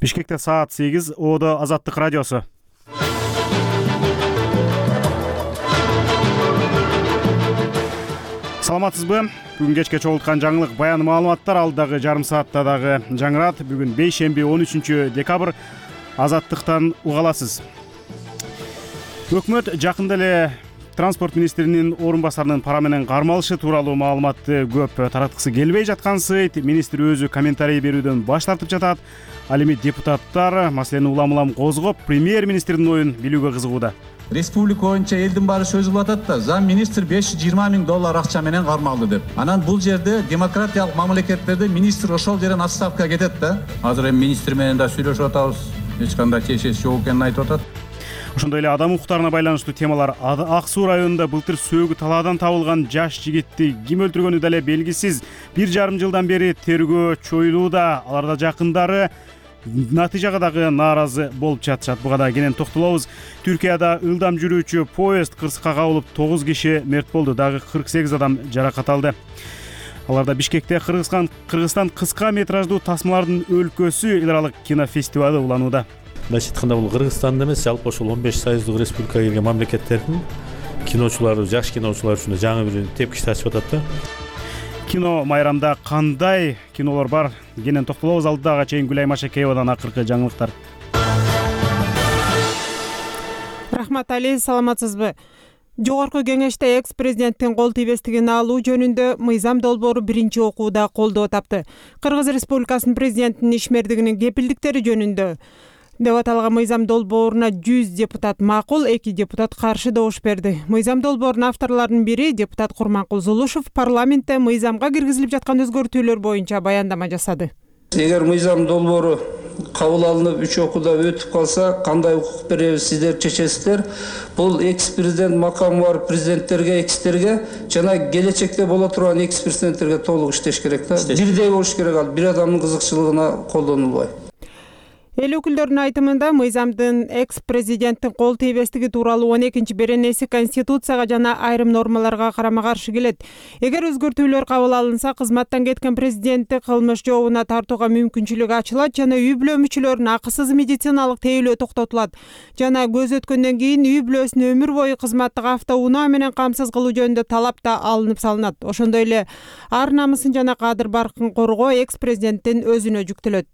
Бишкекте саат 8, Оодо Азаттык радиосу. Саламатсызбы? Бүгүн кечке чогулткан жаңылык баян маалыматтар алдагы жарым саатта дагы жаңырат. Бүгүн бейшемби 13 декабрь. Азаттыктан уга аласыз. Өкмөт жакында эле транспорт министринин орун басарынын пара менен кармалышы тууралуу маалыматты көп тараткысы келбей жаткансыйт. Министр өзү комментарий берүүдөн баш тартып жатат. Ал эми депутаттар маселени улам козгоп, премьер-министрдин оюн билүүгө кызыгууда. Республика боюнча элдин баары сөз кылып атат да, зам министр $520 000 акча менен кармалды деп. Анан бул жерде демократиялык мамлекеттерде министр ошол жерден отставкага кетет да. Азыр эми министр менен да сүйлөшүп атабыз. Эч кандай чечеси жок экенин айтып атат. Ошондой эле адам укуктарына байланыштуу темалар. Ак Суу районунда былтыр сөөгү талаадан табылган жаш жигитти ким өлтүргөнү деле белгисиз. 1,5 жылдан бери тергөө чоюлууда. Аларда жакындары натыйжага дагы нааразы болуп жатышат. Буга да кенен токтолобуз. Түркияда ылдам жүрүүчү поезд кырсыкка кабылып 9 киши мерт болду. Дагы 48 адам жаракат алды. Аларда Бишкекте Кыргызстан кыска метраждуу тасмалардын өлкөсү эл аралык кинофестивалы уланууда. Мындайча айтканда бул Кыргызстанда эмес, жалпы ошол 15 союздук республикага кирген мамлекеттердин киночулары, жаш киночулар үчүн жаңы бир тепкич тачып атат да. Кино майрамда кандай кинолор бар? Кенен токтолобуз. Алдыга чейин Гүлай Машакеевадан акыркы жаңылыктар. Рахмат Али, саламатсызбы? Жогорку кеңеште экс-президенттин кол тийбестигин алуу жөнүндө мыйзам долбоору биринчи окууда колдоо тапты. Кыргыз Республикасынын президентинин ишмердигинин кепилдиктери жөнүндө деп аталган мыйзам долбооруна 100 депутат макул, 2 депутат каршы добуш берди. Мыйзам долбоорунун авторлорунун бири депутат Курманкул Зулушев парламентте мыйзамга киргизилип жаткан өзгөртүүлөр боюнча баяндама жасады. Эгер мыйзам долбоору кабыл алынып 3 окууда өтүп калса, кандай укук беребиз сиздер чечесиздер. Бул экс-президент макамы бар президенттерге, экстерге жана келечекте боло турган экс-президенттерге толук иштеш керек да. Бирдей болуш керек, ал бир адамдын кызыкчылыгына колдонулбай. Эл өкүлдөрүнүн айтымында мыйзамдын экс-президенттин кол тийбестиги тууралуу 12-беренеси Конституцияга жана айрым нормаларга карама-каршы келет. Эгер өзгөртүүлөр кабыл алынса, кызматтан кеткен президентти кылмыш жообуна тартууга мүмкүнчүлүк ачылат жана үй бүлө мүчөлөрүнүн акысыз медициналык тейлөө токтотулат жана көз өткөндөн кийин үй бүлөсүн өмүр бою кызматтык автоунаа менен камсыз кылуу жөнүндө талап да алынып салынат. Ошондой эле ар намысын жана кадыр баркын коргоо экс-президенттин өзүнө жүктөлөт.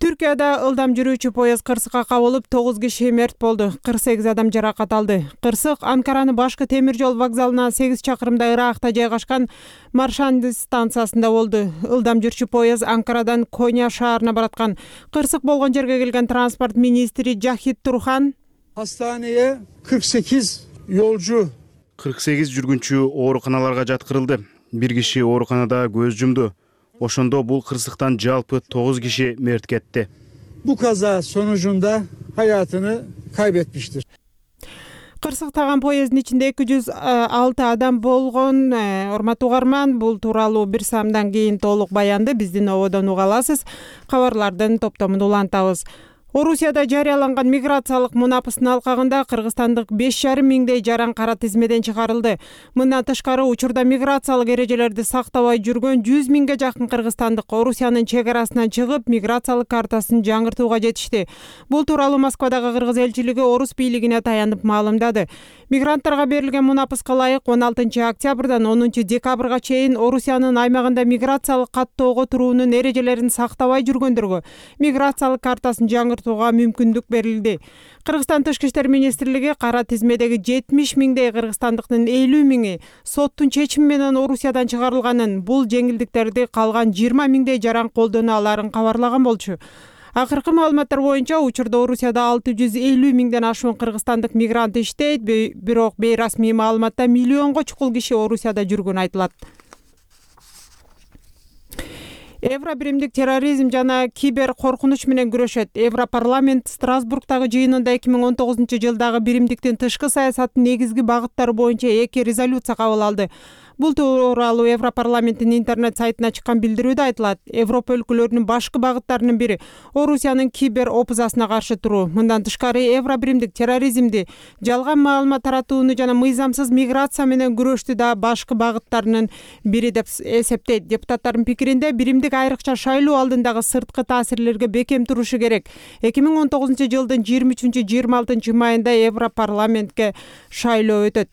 Түркияда ылдам жүрүүчү поезд кырсыкка кабылып 9 киши мерт болду, 48 адам жаракат алды. Кырсык Анкаранын башкы темир жол вокзалынан 8 чакырымда ыракта жайгашкан Маршанды станциясында болду. Ылдам жүрчү поезд Анкарадан Коня шаарына бараткан. Кырсык болгон жерге келген транспорт министри Жахит Турхан Hastaneye 48 yolcu 48 жүргүнчү ооруканаларга жаткырылды. Бир киши ооруканада көз жумду. Ошондо бул кырсыктан жалпы 9 киши мерт кетти. bu kaza sonucunda hayatını kaybetmiştir. Кырсыктаган поезддин ичинде 206 адам болгон. Урматтуу угарман, бул тууралуу бир саамдан кийин толук баянды биздин Оодон уга аласыз. Кабарлардын топтомун улантабыз. Орусияда жарыяланган миграциялык мунапыстын алкагында кыргызстандык 5,5 миңдей жаран кара тизмеден чыгарылды. Мындан тышкары учурда миграциялык эрежелерди сактабай жүргөн 100 миңге жакын кыргызстандык Орусиянын чек арасынан чыгып, миграциялык картасын жаңыртууга жетишти. Бул тууралуу Москвадагы кыргыз элчилиги Орус бийлигине таянып маалымдады. Мигранттарга берилген мунапыска ылайык 16 октябрдан 10 декабрга чейин Орусиянын аймагында миграциялык каттоого туруунун эрежелерин сактабай жүргөндөргө миграциялык картасын жаңыртууга мүмкүндүк берилди. Кыргызстан Тышкы иштер министрлиги кара тизмедеги 70 миңдей кыргызстандыктын 50 миңи соттун чечими менен Орусиядан чыгарылганын, бул жеңилдиктерди калган 20 миңдей жаран колдоно аларын кабарлаган болчу. Акыркы маалыматтар боюнча учурда Орусияда 650 миңден ашуун кыргызстандык мигрант иштейт, бирок бейрасмий маалыматта миллионго чукул киши Орусияда жүргөнү айтылат. Евробиримдик терроризм жана кибер коркунуч менен күрөшөт. Европарламент Страсбургдагы жыйынында 2019 жылдагы биримдиктин тышкы саясаттын негизги багыттары боюнча 2 резолюция кабыл алды. Бул тууралуу Европарламенттин интернет сайтына чыккан билдирүүдө айтылат. Европа өлкөлөрүнүн башкы багыттарынын бири Орусиянын кибер опузасына каршы туруу. Мындан тышкары Евробиримдик терроризмди, жалган маалымат таратууну жана мыйзамсыз миграция менен күрөштү да башкы багыттарынын бири деп эсептейт. Депутаттардын пикиринде биримдик айрыкча шайлоо алдындагы сырткы таасирлерге бекем турушу керек. 2019-жылдын 23-26 майында Европарламентке шайлоо өтөт.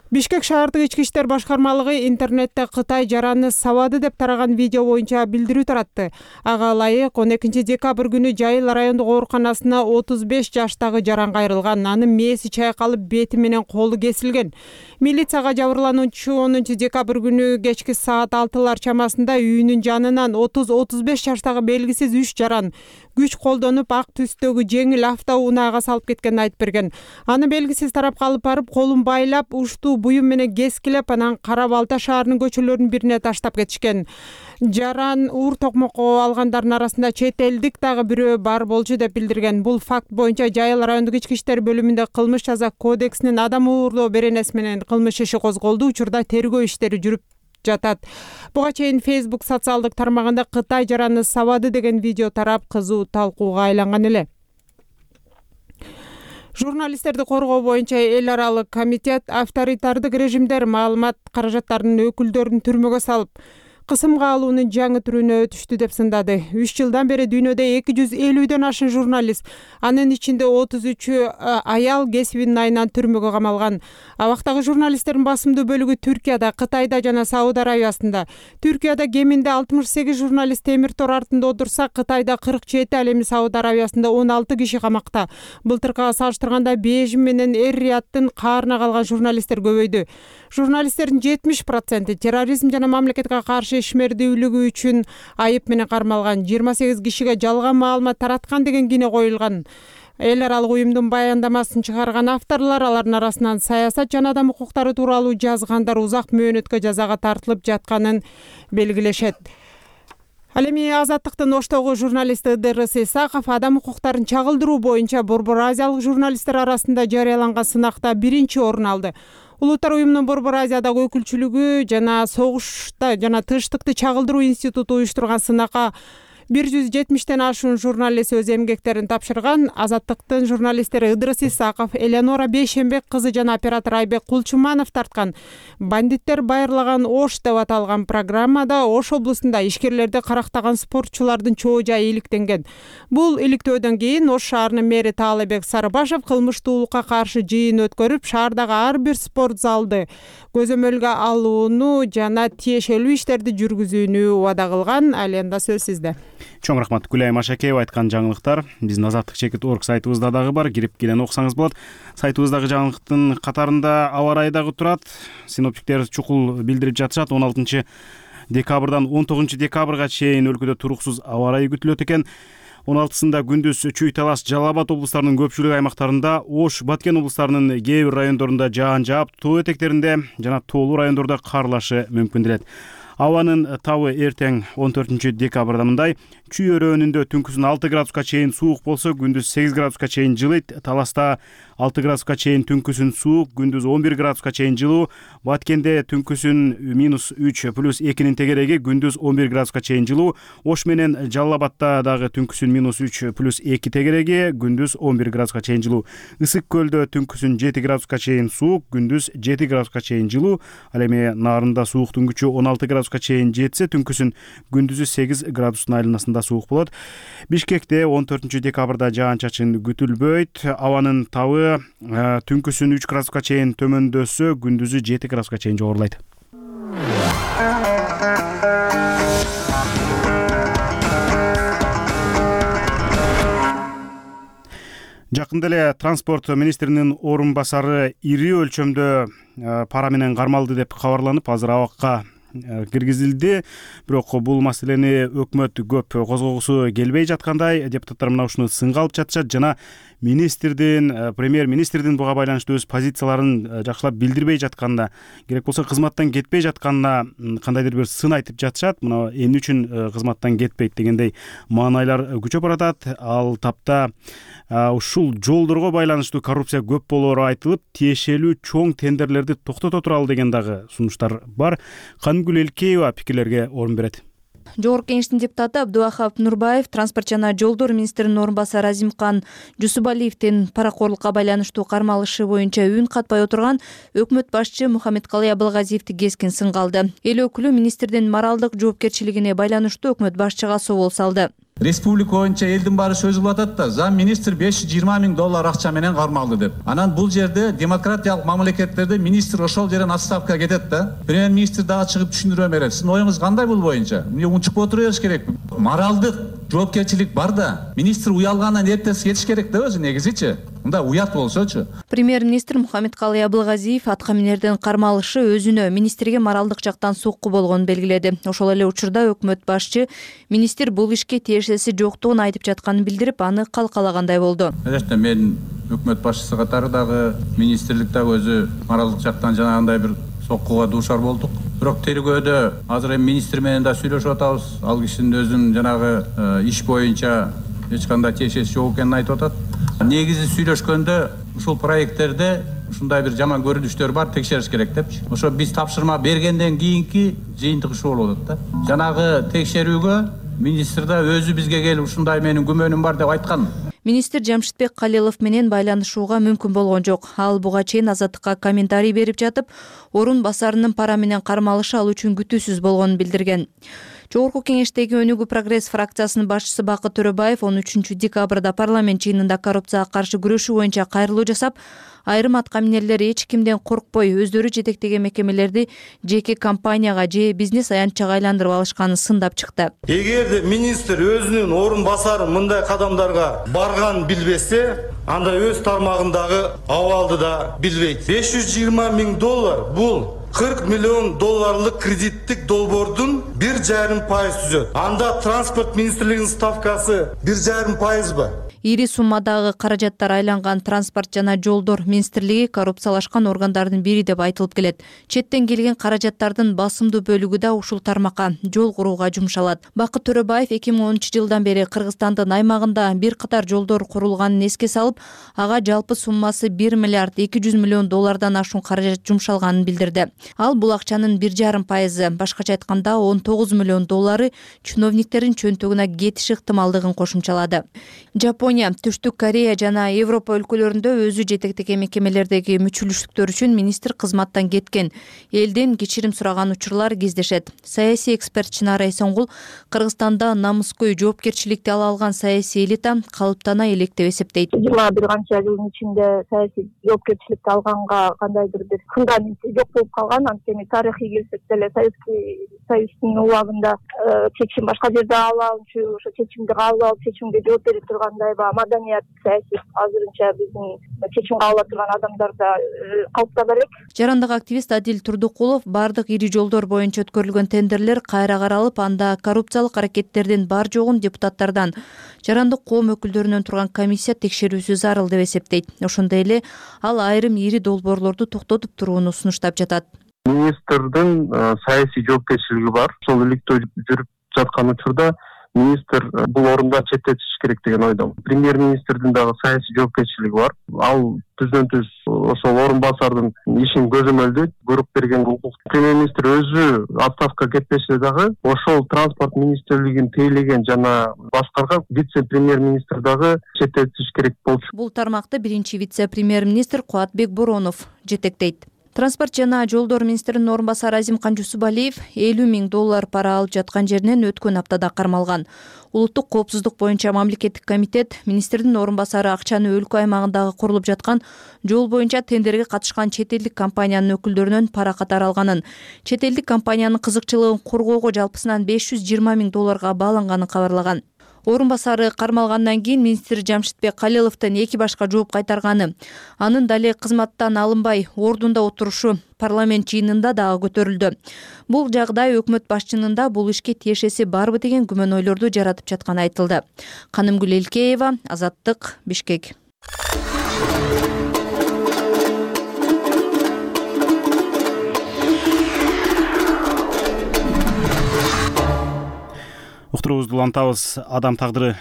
Бишкек шаардык ички иштер башкармалыгы интернетте Кытай жараны сабады деп тараган видео боюнча билдирүү таратты. Ага ылайык 12-декабрь күнү Жайыл райондук ооруканасына 35 жаштагы жаран кайрылган. Анын мээси чайкалып, бети менен колу кесилген. Милицияга жабырлануучу 10-декабрь күнү кечки саат 6-лар чамасында үйүнүн жанынан 30-35 жаштагы белгисиз 3 жаран күч колдонуп ак түстөгү жеңил автоунаага салып кеткенин айтып берген. Аны белгисиз тарапка алып барып, колун байлап, уштуу буюм менен кескилеп, анан Кара Балта шаарынын көчөлөрүнүн бирине таштап кетишкен. Жаран уур токмокко алгандардын арасында чет элдик дагы бирөө бар болчу деп билдирген. Бул факт боюнча Жайыл райондук ички иштер бөлүмүндө кылмыш жаза кодексинин адам уурлоо беренеси менен кылмыш иши козголду. Учурда тергөө иштери жүрүп жатат. Буга чейин Facebook социалдык тармагында Кытай жараны сабады деген видео тарап, кызуу талкууга айланган эле. Журналисттерди коргоо боюнча эл аралык комитет авторитардык режимдер маалымат каражаттарынын өкүлдөрүн түрмөгө салып, кысымга алуунун жаңы түрүнө өтүштү деп сындады. 3 жылдан бери дүйнөдө 250дөн ашын журналист, анын ичинде 33 аял кесибинин айынан түрмөгө камалган. Абактагы журналисттердин басымдуу бөлүгү Түркияда, Кытайда жана Сауд Арабиясында. Түркияда кеминде 68 журналист темир тор артында отурса, Кытайда 47, ал эми Сауд Арабиясында 16 киши камакта. Былтыркыга салыштырганда Бейжиң менен Эр-Рияттын каарына калган журналисттер көбөйдү. Журналисттердин 70% терроризм жана мамлекетке каршы ишмердүүлүгү үчүн айып менен кармалган. 28 кишиге жалган маалымат тараткан деген кине коюлган. Эл аралык уюмдун баяндамасын чыгарган авторлор, алардын арасынан саясат жана адам укуктары тууралуу жазгандар узак мөөнөткө жазага тартылып жатканын белгилешет. Ал эми Азаттыктын Оштогу журналисти Ыдырыс Исаков адам укуктарын чагылдыруу боюнча Борбор Азиялык журналисттер арасында жарыяланган сынакта 1-чи орун алды. Улуттар уюмунун Борбор Азиядагы өкүлчүлүгү жана согушта жана тынчтыкты чагылдыруу институту уюштурган сынакка 170ден ашуун журналист өз эмгектерин тапшырган. Азаттыктын журналисттери Ыдырыс Исаков, Элеонора Бейшембек кызы жана оператор Айбек Кулчуманов тарткан бандиттер байырлаган Ош деп аталган программада Ош облусунда ишкерлерди карактаган спортчулардын чоо жайы иликтенген. Бул иликтөөдөн кийин Ош шаарынын мэри Таалайбек Сарыбашев кылмыштуулукка каршы жыйын өткөрүп, шаардагы ар бир спорт залды көзөмөлгө алууну жана тиешелүү иштерди жүргүзүүнү убада кылган. Ал эми сөз сизде. Чоң рахмат Гүлайым Ашакеева айткан жаңылыктар биздин azattik.org сайтыбызда дагы бар, кирип келен окусаңыз болот. Сайтыбыздагы жаңылыктын катарында аба ырайы дагы турат. Синоптиктер чукул билдирип жатышат. 16 декабрдан 19 декабрга чейин өлкөдө туруксуз аба ырайы күтүлөт экен. 16-сында күндүз Чүй, Талас, Жалал Абад облустарынын көпчүлүк аймактарында, Ош, Баткен облустарынын кээ бир райондорунда жаан жаап, тоо этектеринде жана тоолуу райондордо карлашы мүмкүн делет. Абанын табы эртең 14 декабрда мындай: Чүй өрөөнүндө түнкүсүн 6 градуска чейин суук болсо, күндүз 8 градуска чейин жылыйт. Таласта 6 градуска чейин түнкүсүн суук, күндүз 11 градуска чейин жылуу. Баткенде түнкүсүн -3 плюс 2-нин тегереги, күндүз 11 градуска чейин жылуу. Ош менен Жалал Абадта дагы түнкүсүн -3 плюс 2 тегереги, күндүз 11 градуска чейин жылуу. Ысык көлдө түнкүсүн 7 градуска чейин суук, күндүз 7 градуска чейин жылуу. Ал эми Нарында сууктун күчү 16 градуска чейин жетсе, түнкүсүн күндүзү 8 градустун айланасында суук болот. Бишкекте 14 декабрда жаан-чачын күтүлбөйт. Абанын табы түнкүсүн 3 градуска чейин төмөндөсө, күндүзү 7 градуска чейин жогорулайт. Жакында эле транспорт министринин орун басары ири өлчөмдө пара менен кармалды деп кабарланып, азыр абакка киргизилди. Бирок бул маселени өкмөт көп козгогусу келбей жаткандай, депутаттар мына ушуну сынга алып жатышат жана премьер-министрдин буга байланыштуу өз позицияларын жакшылап билдирбей жатканына, керек болсо кызматтан кетпей жатканына кандайдыр бир сын айтып жатышат. Мына эмне үчүн кызматтан кетпейт дегендей маанайлар күчөп баратат. Ал тапта ушул жолдорго байланыштуу коррупция көп болоору айтылып, тиешелүү чоң тендерлерди токтото туралы деген дагы сунуштар бар. Канымгүл Элкеева пикирлерге орун берет. Жогорку Кеңештин депутаты Абдувахап Нурбаев транспорт жана жолдор министринин орун басары Азимкан Жусубалиевдин паракорлукка байланыштуу кармалышы боюнча үн катпай отурган өкмөт башчы Мухаммедкалый Абылгазиевди кескин сынга алды. Эл өкүлү министрдин моралдык жоопкерчилигине байланыштуу өкмөт башчыга собол салды. Республика боюнча элдин баары сөз кылып атат да, зам министр $520 000 акча менен кармалды деп. Анан бул жерде демократиялык мамлекеттерде министр ошол жерден отставкага кетет да. Премьер-министр дагы чыгып түшүндүрө берет. Сиздин оюңуз кандай бул боюнча? Эмне унчукпай отура бериш керекпи? Моралдык жоопкерчилик бар да. Министр уялгандан эртеси кетиш керек да өзү негизичи. Мында уят болсочу. Премьер-министр Мухаммедкалый Абылгазиев атка минердин кармалышы өзүнө министрге моралдык жактан сокку болгонун белгиледи. Ошол эле учурда өкмөт башчы министр бул ишке тиешеси жоктугун айтып жатканын билдирип, аны калкалагандай болду. Мен өкмөт башчысы катары дагы министрлик дагы өзү моралдык жактан жанагындай бир соккуга дуушар болдук. Бирок тергөөдө азыр эми министр менен да сүйлөшүп атабыз. Ал кишинин өзүнүн жанагы иш боюнча эч кандай тиешеси жок экенин айтып атат. Негизи сүйлөшкөндө ушул проекттерде ушундай бир жаман көрүнүштөр бар, текшериш керек депчи. Ошо биз тапшырма бергенден кийинки жыйынтык ушул болуп атат да. Жанагы текшерүүгө министр да өзү бизге келип ушундай менин күмөнүм бар деп айткан. Министр Жамшитбек Калилов менен байланышууга мүмкүн болгон жок. Ал буга чейин Азаттыкка комментарий берип жатып, орун басарынын пара менен кармалышы ал үчүн күтүүсүз болгонун билдирген. Жогорку Кеңештеги Өнүгүү Прогресс фракциясынын башчысы Бакыт Төрөбаев 13 декабрда парламент жыйынында коррупцияга каршы күрөшүү боюнча кайрылуу жасап, айрым атка минерлер эч кимден коркпой өздөрү жетектеген мекемелерди жеке компанияга же бизнес аянтчага айландырып алышканын сындап чыкты. Эгерде министр өзүнүн орун басары мындай кадамдарга барганын билбесе, анда өз тармагындагы абалды да билбейт. $520 000 бул $40 миллион кредиттик долбоордун 1,5% түзөт. Анда транспорт министрлигинин ставкасы 1,5%. Ири суммадагы каражаттар айланган транспорт жана жолдор министрлиги коррупциялашкан органдардын бири деп айтылып келет. Четтен келген каражаттардын басымдуу бөлүгү да ушул тармакка жол курууга жумшалат. Бакыт Төрөбаев 2010 жылдан бери Кыргызстандын аймагында бир катар жолдор курулганын эске салып, ага жалпы суммасы $1,2 миллион ашуун каражат жумшалганын билдирди. Ал бул акчанын 1,5%, башкача айтканда $19 миллион чиновниктердин чөнтөгүнө кетиш ыктымалдыгын кошумчалады. Жапония, Түштүк Корея жана Европа өлкөлөрүндө өзү жетектеген мекемелердеги мүчүлүштүктөр үчүн министр кызматтан кеткен. Элден кечирим сураган учурлар кездешет. Саясий эксперт Чынара Эсенгул Кыргызстанда намыскөй жоопкерчиликти ала алган саясий элита калыптана элек деп эсептейт. 21 канча жылдын ичинде саясий жоопкерчиликти алганга кандайдыр бир фундаменти жок болуп калган. Анткени тарыхый келсек деле Советский Союздун убагында чечим башка жерде алынчу, ошо чечимди кабыл алып чечимге жооп берип тургандай маданият саясий азырынча биздин чечим кабыл ала турган адамдарда калыптана элек. Жарандык активист Адил Турдукулов бардык ири жолдор боюнча өткөрүлгөн тендерлер кайра каралып, анда коррупциялык аракеттердин бар жогун депутаттардан, жарандык коом өкүлдөрүнөн турган комиссия текшерүүсү зарыл деп эсептейт. Ошондой эле ал айрым ири долбоорлорду токтотуп турууну сунуштап жатат. Министрдин саясий жоопкерчилиги бар. Ошол иликтөө жүрүп жаткан учурда министр бул орундан четтетиш керек деген ойдомун. Премьер-министрдин дагы саясий жоопкерчилиги бар. Ал түздөн-түз ошол орун басардын ишин көзөмөлдөйт, буйрук берген укук. Премьер-министр өзү отставкага кетпесе дагы ошол транспорт министрлигин тейлеген жана башкарган вице-премьер-министр дагы четтетиш керек болчу. Бул тармакты биринчи вице-премьер-министр Кубатбек Боронов жетектейт. Транспорт жана жолдор министринин орун басары Азимкан Жусубалиев $50 000 пара алып жаткан жеринен өткөн аптада кармалган. Улуттук коопсуздук боюнча мамлекеттик комитет министрдин орун басары акчаны өлкө аймагындагы курулуп жаткан жол боюнча тендерге катышкан чет элдик компаниянын өкүлдөрүнөн пара катары алганын, чет элдик компаниянын кызыкчылыгын коргоого жалпысынан $520 000 бааланганын кабарлаган. Орун басары кармалгандан кийин министр Жамшитбек Калиловдон 2 башка жооп кайтарганы, анын дале кызматтан алынбай ордунда отурушу парламент жыйынында дагы көтөрүлдү. Бул жагдай өкмөт башчынын бул ишке тиешеси барбы деген күмөнөйлөрдү жаратып жатканы айтылды. Канымгүл Элкеева, Азаттык, Бишкек. Уктуруубузду улантабыз. Адам тагдыры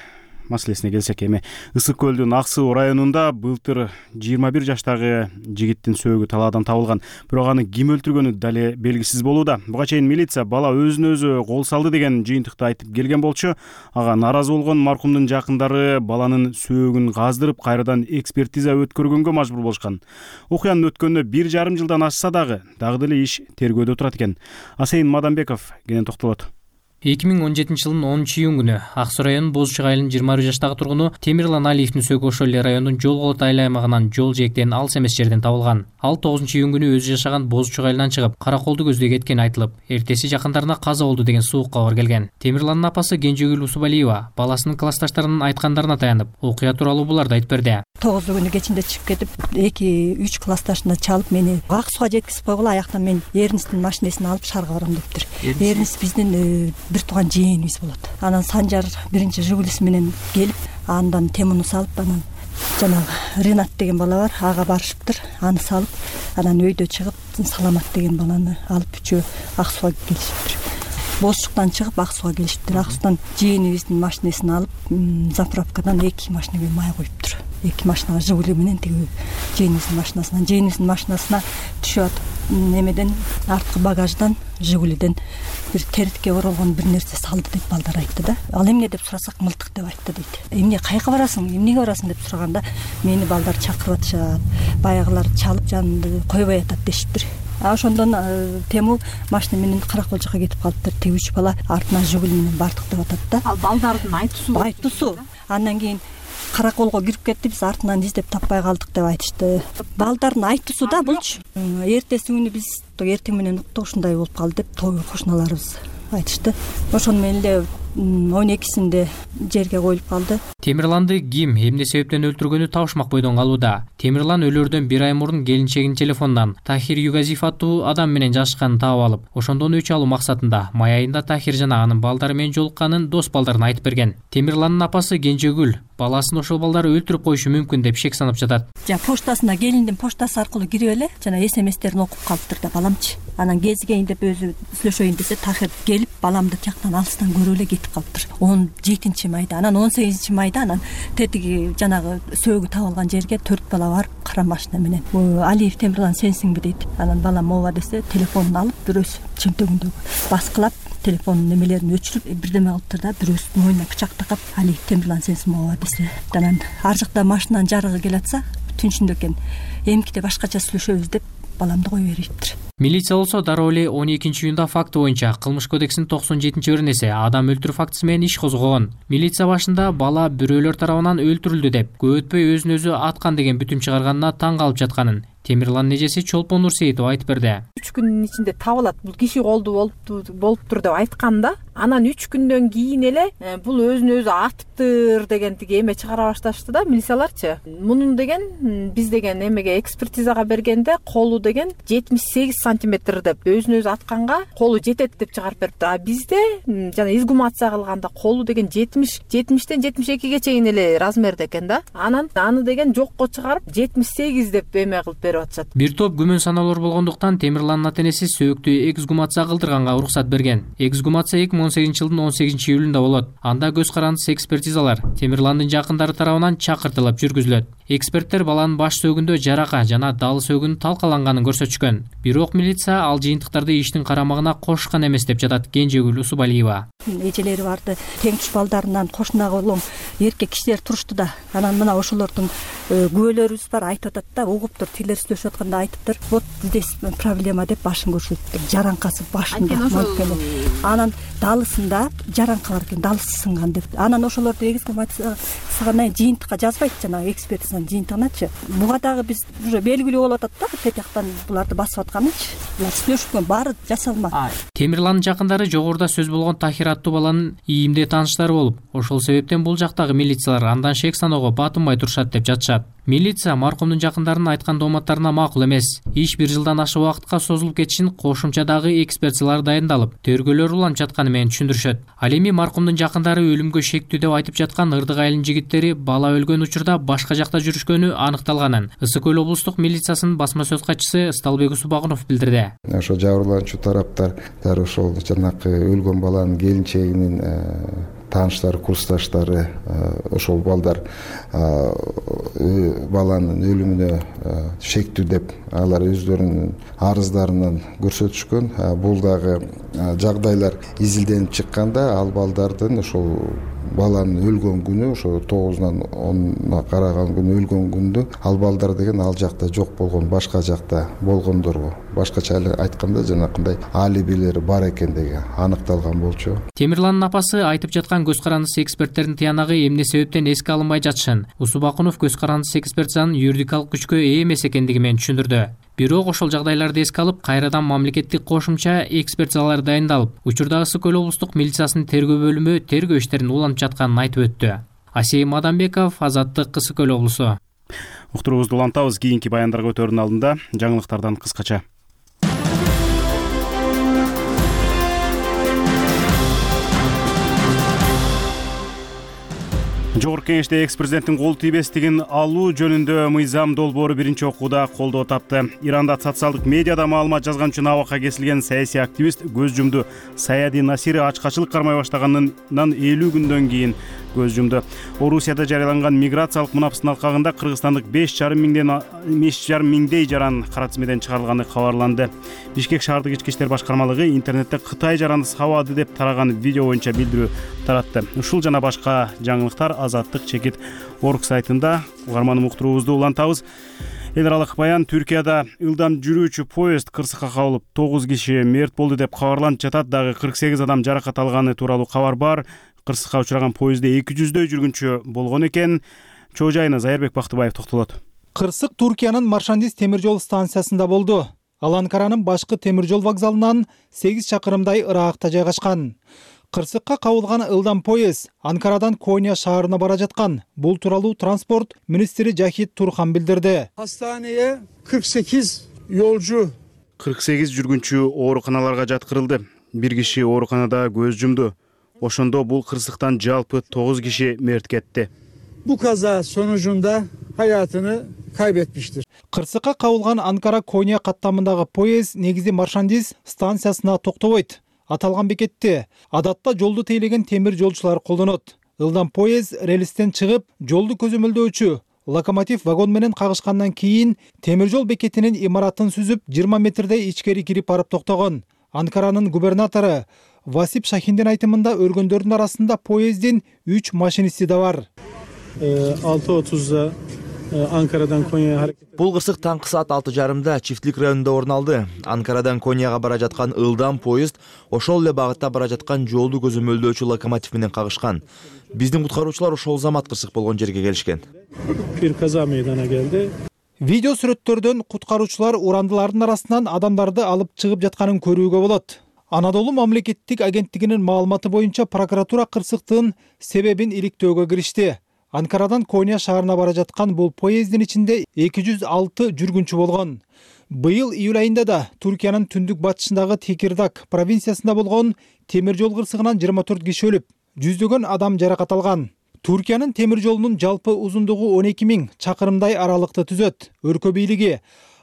маселесине келсек, эми Ысык көлдүн Ак Суу районунда былтыр 21 жаштагы жигиттин сөөгү талаадан табылган. Бирок аны ким өлтүргөнү дале белгисиз болууда. Буга чейин милиция бала өзүнө өзү кол салды деген жыйынтыкты айтып келген болчу. Ага наразы болгон маркумдун жакындары баланын сөөгүн каздырып, кайрадан экспертиза өткөргөнгө мажбур болушкан. Окуянын өткөнүнө 1,5 жылдан ашса дагы деле иш тергөөдө турат экен. Асейин Мадамбеков кенен токтолот. 2017 жылдын 10-июнь күнү Ак Суу районунун Боз Чок айылынын 21 жаштагы тургуну Темирлан Алиевдин сөөгү ошол эле райондун Жол Колот айыл аймагынан жол жээктен алыс эмес жерден табылган. Ал 9-июнь күнү өзү жашаган Боз Чок айылынан чыгып, Караколду көздөй кеткени айтылып, эртеси жакындарына каза болду деген суук кабар келген. Темирландын апасы Кенжегүл Усубалиева баласынын классташтарынын айткандарына таянып, окуя тууралуу буларды айтып берди. 9 кечинде чыгып кетип, 2-3 классташына чалып мени Ак Сууга жеткизип койгула, аяктан мен Эрнисттин машинесин алып шаарга барам дептир. Эрнис биздин бир тууган жээнибиз болот. Анан Санжар биринчи Жигулиси менен келип, андан темуну салып, анан жанагы Ренат деген бала бар, ага барышыптыр. Аны салып, анан өйдө чыгып, Саламат деген баланы алып үчөө Ак Сууга келишиптир. Боз Чоктон чыгып Ак Сууга келишиптир. Ак Суудан жээнибиздин машинесин алып, заправкадан 2 машинеге май коюптур. 2 машинага Жигули менен тиги жээнибиздин машинасына түшүп атып, немеден арткы багаждан Жигулиден бир теритке оролгон бир нерсе салды деп балдар айтты да. Ал эмне деп сурасак, мылтык деп айтты дейт. Эмне, кайка барасың, эмнеге барасың деп сураганда, мени балдар чакырып атышат, баягылар чалып жанымды койбой атат дешиптир. Ошондон Тему машина менен Каракол жака кетип калыптыр. Тиги 3 бала артынан Жигули менен бардык деп атат да. Ал балдардын айтуусу. Андан кийин Караколго кирип кетти, биз артынан издеп таппай калдык деп айтышты. Балдардын айтуусу да булчу. Эртеси күнү биз эртең менен уктук, ушундай болуп калды деп кошуналарыбыз айтышты. Ошону менен эле 12-синде жерге коюлуп калды. Темирланды ким, эмне себептен өлтүргөнү табышмак бойдон калууда. Темирлан өлөрдөн 1 ай мурун келинчегинин телефонунан Тахир Югазиев аттуу адам менен жашканын таап алып, ошондон өч алуу максатында май айында Тахир жана анын балдары менен жолукканын дос балдарына айтып берген. Темирландын апасы Кенжегүл баласын ошол балдар өлтүрүп коюшу мүмкүн деп шек санап жатат. Поштасына, келиндин поштасы аркылуу кирип эле жана СМСтерин окуп калыптыр да баламчы. Анан кезигейин деп өзү сүйлөшөйүн десе, Тахир келип баламды тияктан алыстан көрүп эле кетип калыптыр. 17-майда, анан 18-майда анан тетиги жанагы сөөгү табылган жерге 4 бала барып, кара машина менен Алиев Темирлан сенсиңби дейт. Анан балам ооба десе, телефонун алып бирөөсү чөнтөгүндөгү баскылап, телефонун немелерин өчүрүп, бирдеме кылыптыр да, бирөөсү мойнуна пычак такап, Алиев Темирлан сенсиңби ооба десе. Анан ар жакта машинанын жарыгы келатса, түнчүндө экен, эмкиде башкача сүйлөшөбүз деп баламды кое бериптир. Милиция болсо дароо эле 12-июнда факты боюнча Кылмыш кодексинин 97-беренеси адам өлтүрүү фактысы менен иш козгогон. Милиция башында бала бирөөлөр тарабынан өлтүрүлдү деп, көп өтпөй өзүн өзү аткан деген бүтүм чыгарганына таң калып жатканын Темирландын эжеси Чолпон Нурсейитова айтып берди. 3 күндүн ичинде табылат, бул киши колду болуптур деп айтканда, анан 3 күндөн кийин эле бул өзүн өзү атыптыр деген тиги эме чыгара башташты да милицияларчы. Мунун деген биз деген эмеге экспертизага бергенде колу деген 78 сантиметр деп, өзүн өзү атканга колу жетет деп чыгарып бериптир. А бизде жана изгумация кылганда колу деген 70-тен 72ге чейин эле размерде экен да. Анан аны деген жокко чыгарып 78 деп эме кылып берип атышат. Бир топ күмөн саналар болгондуктан Темирландын ата-энеси сөөктү эксгумация кылдырганга уруксат берген. Эксгумация 2018 жылдын 18-июлунда болот. Анда көз карандысыз экспертизалар Темирландын жакындары тарабынан чакыртылып жүргүзүлөт. Эксперттер баланын баш сөөгүндө жарака жана дал сөөгүнүн талкаланганын көрсөтүшкөн. Бирок милиция ал жыйынтыктарды иштин карамагына кошкан эмес деп жатат Кенжегүл Усубалиева. Эжелери барды, теңчү балдарынан кошунага улам эркек кишилер турушту да. Анан мына ошолордун күбөлөрүбүз бар, айтып атат да, угуптур, тилер сүйлөшүп атканда айтыптыр, вот здесь проблема деп башын көрсөтүптүр. Жаранкасы башында. Анан далысында жаранка бар экен, далысы сынган деп. Анан ошолорду экспертизага жыйынтыкка жазбайт, жанагы экспертизанын жыйынтыгыначы. Буга дагы биз уже белгилүү болуп атат да, тетяктан буларды басып атканычы. Булар сүйлөшүпкөн баары жасалма. Темирландын жакындары жогоруда сөз болгон Тахир аттуу баланын ийимде тааныштары болуп, ошол себептен бул жактагы милициялар андан шек саноого батынбай турушат деп жатышат. Милиция маркумдун жакындарынын айткан дооматтарына макул эмес. Иш 1 жылдан ашык убакытка созулуп кетишин кошумча дагы экспертизалар дайындалып, тергөөлөр уланып жатканы менен түшүндүрүшөт. Ал эми маркумдун жакындары өлүмгө шектүү деп айтып жаткан Ырдык айылынын жигиттери бала өлгөн учурда башка жакта жүрүшкөнү аныкталганын Ысык көл облустук милициясынын басма сөз катчысы Ысталбек Усубагунов билдирди. Ошо жабырлануучу тараптар ошол жанакы өлгөн баланын келинчегинин тааныштары, курсташтары, ошол балдар баланын өлүмүнө шектүү деп алар өздөрүнүн арыздарынан көрсөтүшкөн. Бул дагы жагдайлар изилденип чыкканда ал балдардын ошол баланын өлгөн күнү, ошо 9-нан 10-на караган күнү өлгөн күндө ал балдар деген ал жакта жок болгон, башка жакта болгондорго, башкача айтканда жанакындай алибилери бар экендиги аныкталган болчу. Темирландын апасы айтып жаткан көз карандысы эксперттердин тыянагы эмне себептен эске алынбай жатышын Усубакунов көз карандысы экспертизанын юридикалык күчкө ээ эмес экендиги менен түшүндүрдү. Бирок ошол жагдайларды эске алып, кайрадан мамлекеттик кошумча экспертизалар дайындалып, учурдагы Ысык көл облустук милициясынын тергөө бөлүмү тергөө иштерин улантып жатканын айтып өттү. Асей Мадамбеков, Азаттык, Ысык көл облусу. Уктуруубузду улантабыз. Кийинки баяндарга өтөрдүн алдында жаңылыктардан кыскача. Жогорку Кеңеште экс-президенттин кол тийбестигин алуу жөнүндө мыйзам долбоору биринчи окууда колдоо тапты. Иранда социалдык медиада маалымат жазган үчүн абакка кесилген саясий активист көз жумду. Саяди Насири ачкачылык кармай баштаганынан 50 күндөн кийин көз жумду. Орусияда жарыяланган миграциялык мунапыстын алкагында кыргызстандык 5,5 миңдей жаран кара тизмеден чыгарылганы кабарланды. Бишкек шаардык ички иштер башкармалыгы интернетте Кытай жараны сабады деп тараган видео боюнча билдирүү таратты. Ушул жана башка жаңылыктар Азаттык чекит орг сайтында. Угарманым, уктуруубузду улантабыз. Эл аралык баян: Түркияда ылдам жүрүүчү поезд кырсыкка кабылып 9 киши мерт болду деп кабарланып жатат. Дагы 48 адам жаракат алганы тууралуу кабар бар. Кырсыкка учураган поездде 200дөй жүргүнчү болгон экен. Чоо жайына Зайырбек Бактыбаев токтолот. Кырсык Туркиянын Маршандис темир жол станциясында болду. Ал Анкаранын башкы темир жол вокзалынан 8 чакырымдай ыраагыкта жайгашкан. Кырсыкка кабылган ылдам поезд Анкарадан Коnya шаарына бара жаткан. Бул тууралуу транспорт министри Жахит Турхан билдирди. Hastaneye 48 yolcu 48 жүргүнчү ооруканаларга жаткырылды. Бир киши ооруканада көз жумду. Ошондо бул кырсыктан жалпы 9 киши мерт кетти. bu kaza sonucunda hayatını kaybetmiştir. Кырсыкка кабылган Анкара Коnya каттамындагы поезд негизи Маршандис станциясына токтобойт. Аталган бекетте адатта жолду тейлеген темир жолчулар колдонот. Ылдам поезд релистен чыгып, жолду көзөмөлдөөчү локомотив вагон менен кагышкандан кийин темир жол бекетинин имаратын сүзүп 20 метрдей ичкери кирип барып токтогон. Анкаранын губернатору Васип Шахиндин айтымында өлгөндөрдүн арасында поездин 3 машинисти да бар. 6:30'da Ankara'dan Konya'ya hareket. Бул кырсык таңкы саат 6:30 Чифтлик районунда орун алды. Анкарадан Конияга бара жаткан ылдам поезд ошол эле багытта бара жаткан жолду көзөмөлдөөчү локомотив менен кагышкан. Биздин куткаруучулар ошол замат кырсык болгон жерге келишкен. Bir kaza meydana geldi. Видео сүрөттөрдөн куткаруучулар урандылардын арасынан адамдарды алып чыгып жатканын көрүүгө болот. Анадолу мамлекеттик агенттигинин маалыматы боюнча прокуратура кырсыктын себебин иликтөөгө киришти. Анкарадан Коnya шаарына бара жаткан бул поездин ичинде 206 жүргүнчү болгон. Быйыл июль айында да Түркиянын түндүк батышындагы Текирдак провинциясында болгон темир жол кырсыгынан 24 киши өлүп, жүздөгөн адам жаракат алган. Түркиянын темир жолунун жалпы узундугу 12.000 чакырымдай аралыкты түзөт. Өлкө бийлиги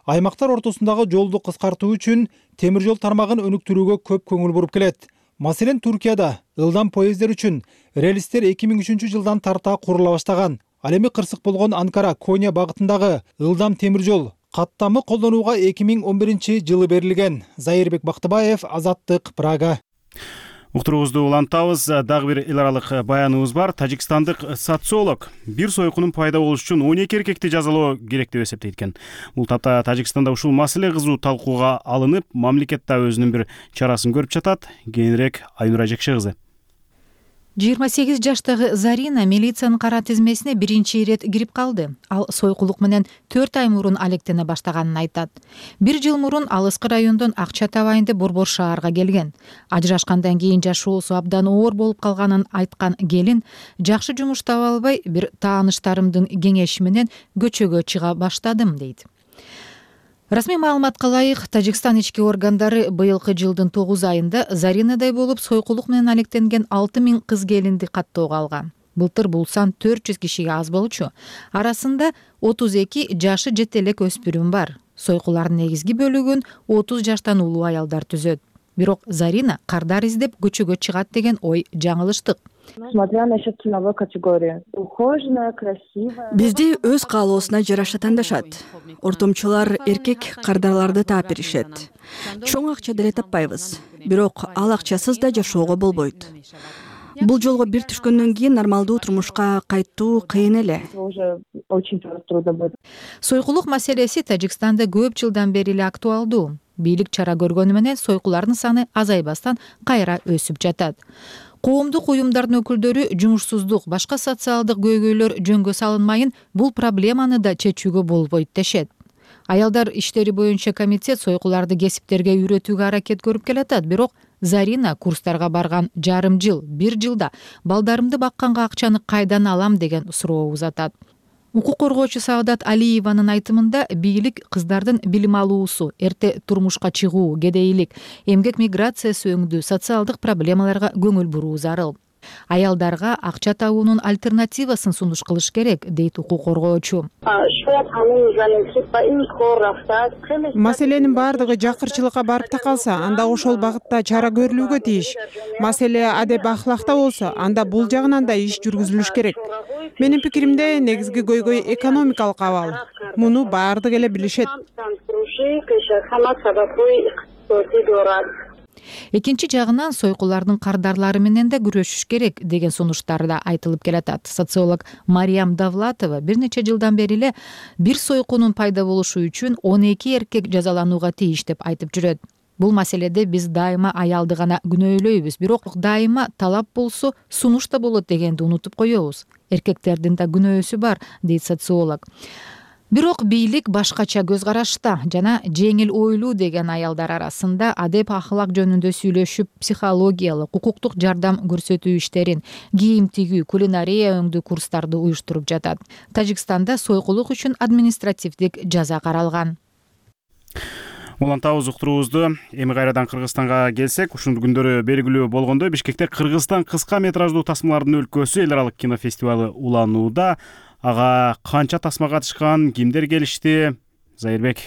аймактар ортосундагы жолду кыскартуу үчүн темир жол тармагын өнүктүрүүгө көп көңүл буруп келет. Маселен, Түркияда ылдам поездер үчүн релистер 2003 жылдан тарта курула баштаган. Ал эми кырсык болгон Анкара Коnya багытындагы ылдам темир жол каттамы колдонууга 2011 жылы берилген. Зайырбек Бактыбаев, Азаттык, Прага. Уктуруубузду улантабыз. Дагы бир эл аралык баяныбыз бар. Тажикстандык социолог бир сойкунун пайда болуш үчүн 12 эркекти жазалоо керек деп эсептейт экен. Бул тапта Тажикстанда ушул маселе кызуу талкууга алынып, мамлекет да өзүнүн бир чарасын көрүп жатат. Кийинирээк Айнура Жекше кызы. 28 жаштагы Зарина милициянын кара тизмесине биринчи ирет кирип калды. Ал сойкулук менен 4 ай мурун алектене баштаганын айтат. 1 жыл мурун Алыскы райондон Акча Табайынды Борбор шаарга келген. Ажырашкандан кийин жашоосу абдан оор болуп калганын айткан келин жакшы жумуш таба албай, бир тааныштарымдын кеңеши менен көчөгө чыга баштадым дейт. Расмий маалыматка ылайык, Тажикстан ички органдары быйылкы жылдын 9 айында Заринадай болуп сойкулук менен алектенген 6000 кыз келинди каттоого алган. Былтыр бул сан 400 кишиге аз болчу. Арасында 32 жашы жете элек өспүрүм бар. Сойкулардын негизги бөлүгүн 30 жаштан улуу аялдар түзөт. Бирок Зарина кардар издеп көчөгө чыгат деген ой жаңылыштык. Смотря насчет ценовой категории. Ухоженная, красивая. Бизди өз каалоосуна жараша тандашат. Ортомчулар эркек кардарларды таап беришет. Чоң акча деле таппайбыз. Бирок ал акчасыз да жашоого болбойт. Бул жолго бир түшкөндөн кийин нормалдуу турмушка кайтуу кыйын эле. Сойкулук маселеси Тажикстанда көп жылдан бери эле актуалдуу. Бийлик чара көргөнү менен сойкулардын саны азайбастан кайра өсүп жатат. Коомдук уюмдардын өкүлдөрү жумушсуздук, башка социалдык көйгөйлөр жөнгө салынмайын, бул проблеманы да чечүүгө болбойт дешет. Аялдар иштери боюнча комитет сойкуларды кесиптерге үйрөтүүгө аракет көрүп келатат, бирок Зарина курстарга барган жарым жыл, 1 жылда балдарымды бакканга акчаны кайдан алам деген суроо узатат. Укук коргоочу Саадат Алиеванын айтымында бийлик кыздардын билим алуусу, эрте турмушка чыгуу, кедейлик, эмгек миграциясы өңдүү социалдык проблемаларга көңүл буруу зарыл. Аялдарга акча табуунун альтернативасын сунуш кылыш керек, дейт укук коргоочу. Маселенин баардыгы жакырчылыкка барып такалса, анда ошол багытта чара көрүлүүгө тийиш. Маселе адеп ахлакта болсо, анда бул жагынан да иш жүргүзүлүш керек. Менин пикиримде негизги көйгөй экономикалык абал. Муну баардыгы эле билишет. Экинчи жагынан сойкулардын кардарлары менен да күрөшүш керек деген сунуштар да айтылып келатат. Социолог Мариям Давлатова бир нече жылдан бери эле бир сойкунун пайда болушу үчүн 12 эркек жазаланууга тийиш деп айтып жүрөт. Бул маселеде биз дайыма аялды гана күнөөлөйбүз, бирок дайыма талап болсо сунуш да болот дегенди унутуп коебуз. Эркектердин да күнөөсү бар, дейт социолог. Бирок бийлик башкача көз карашта жана жеңил ойлуу деген аялдар арасында адеп ахлак жөнүндө сүйлөшүп, психологиялык, укуктук жардам көрсөтүү иштерин, кийим тигүү, кулинария өңдүү курстарды уюштуруп жатат. Тажикстанда сойкулук үчүн административдик жаза каралган. Улантабыз уктуруубузду. Эми кайрадан Кыргызстанга келсек, ушул күндөрү белгилүү болгондой, Бишкекте Кыргызстан кыска метраждуу тасмалардын өлкөсү эл аралык кинофестивалы уланууда. Ага канча тасма катышкан, кимдер келишти? Зайырбек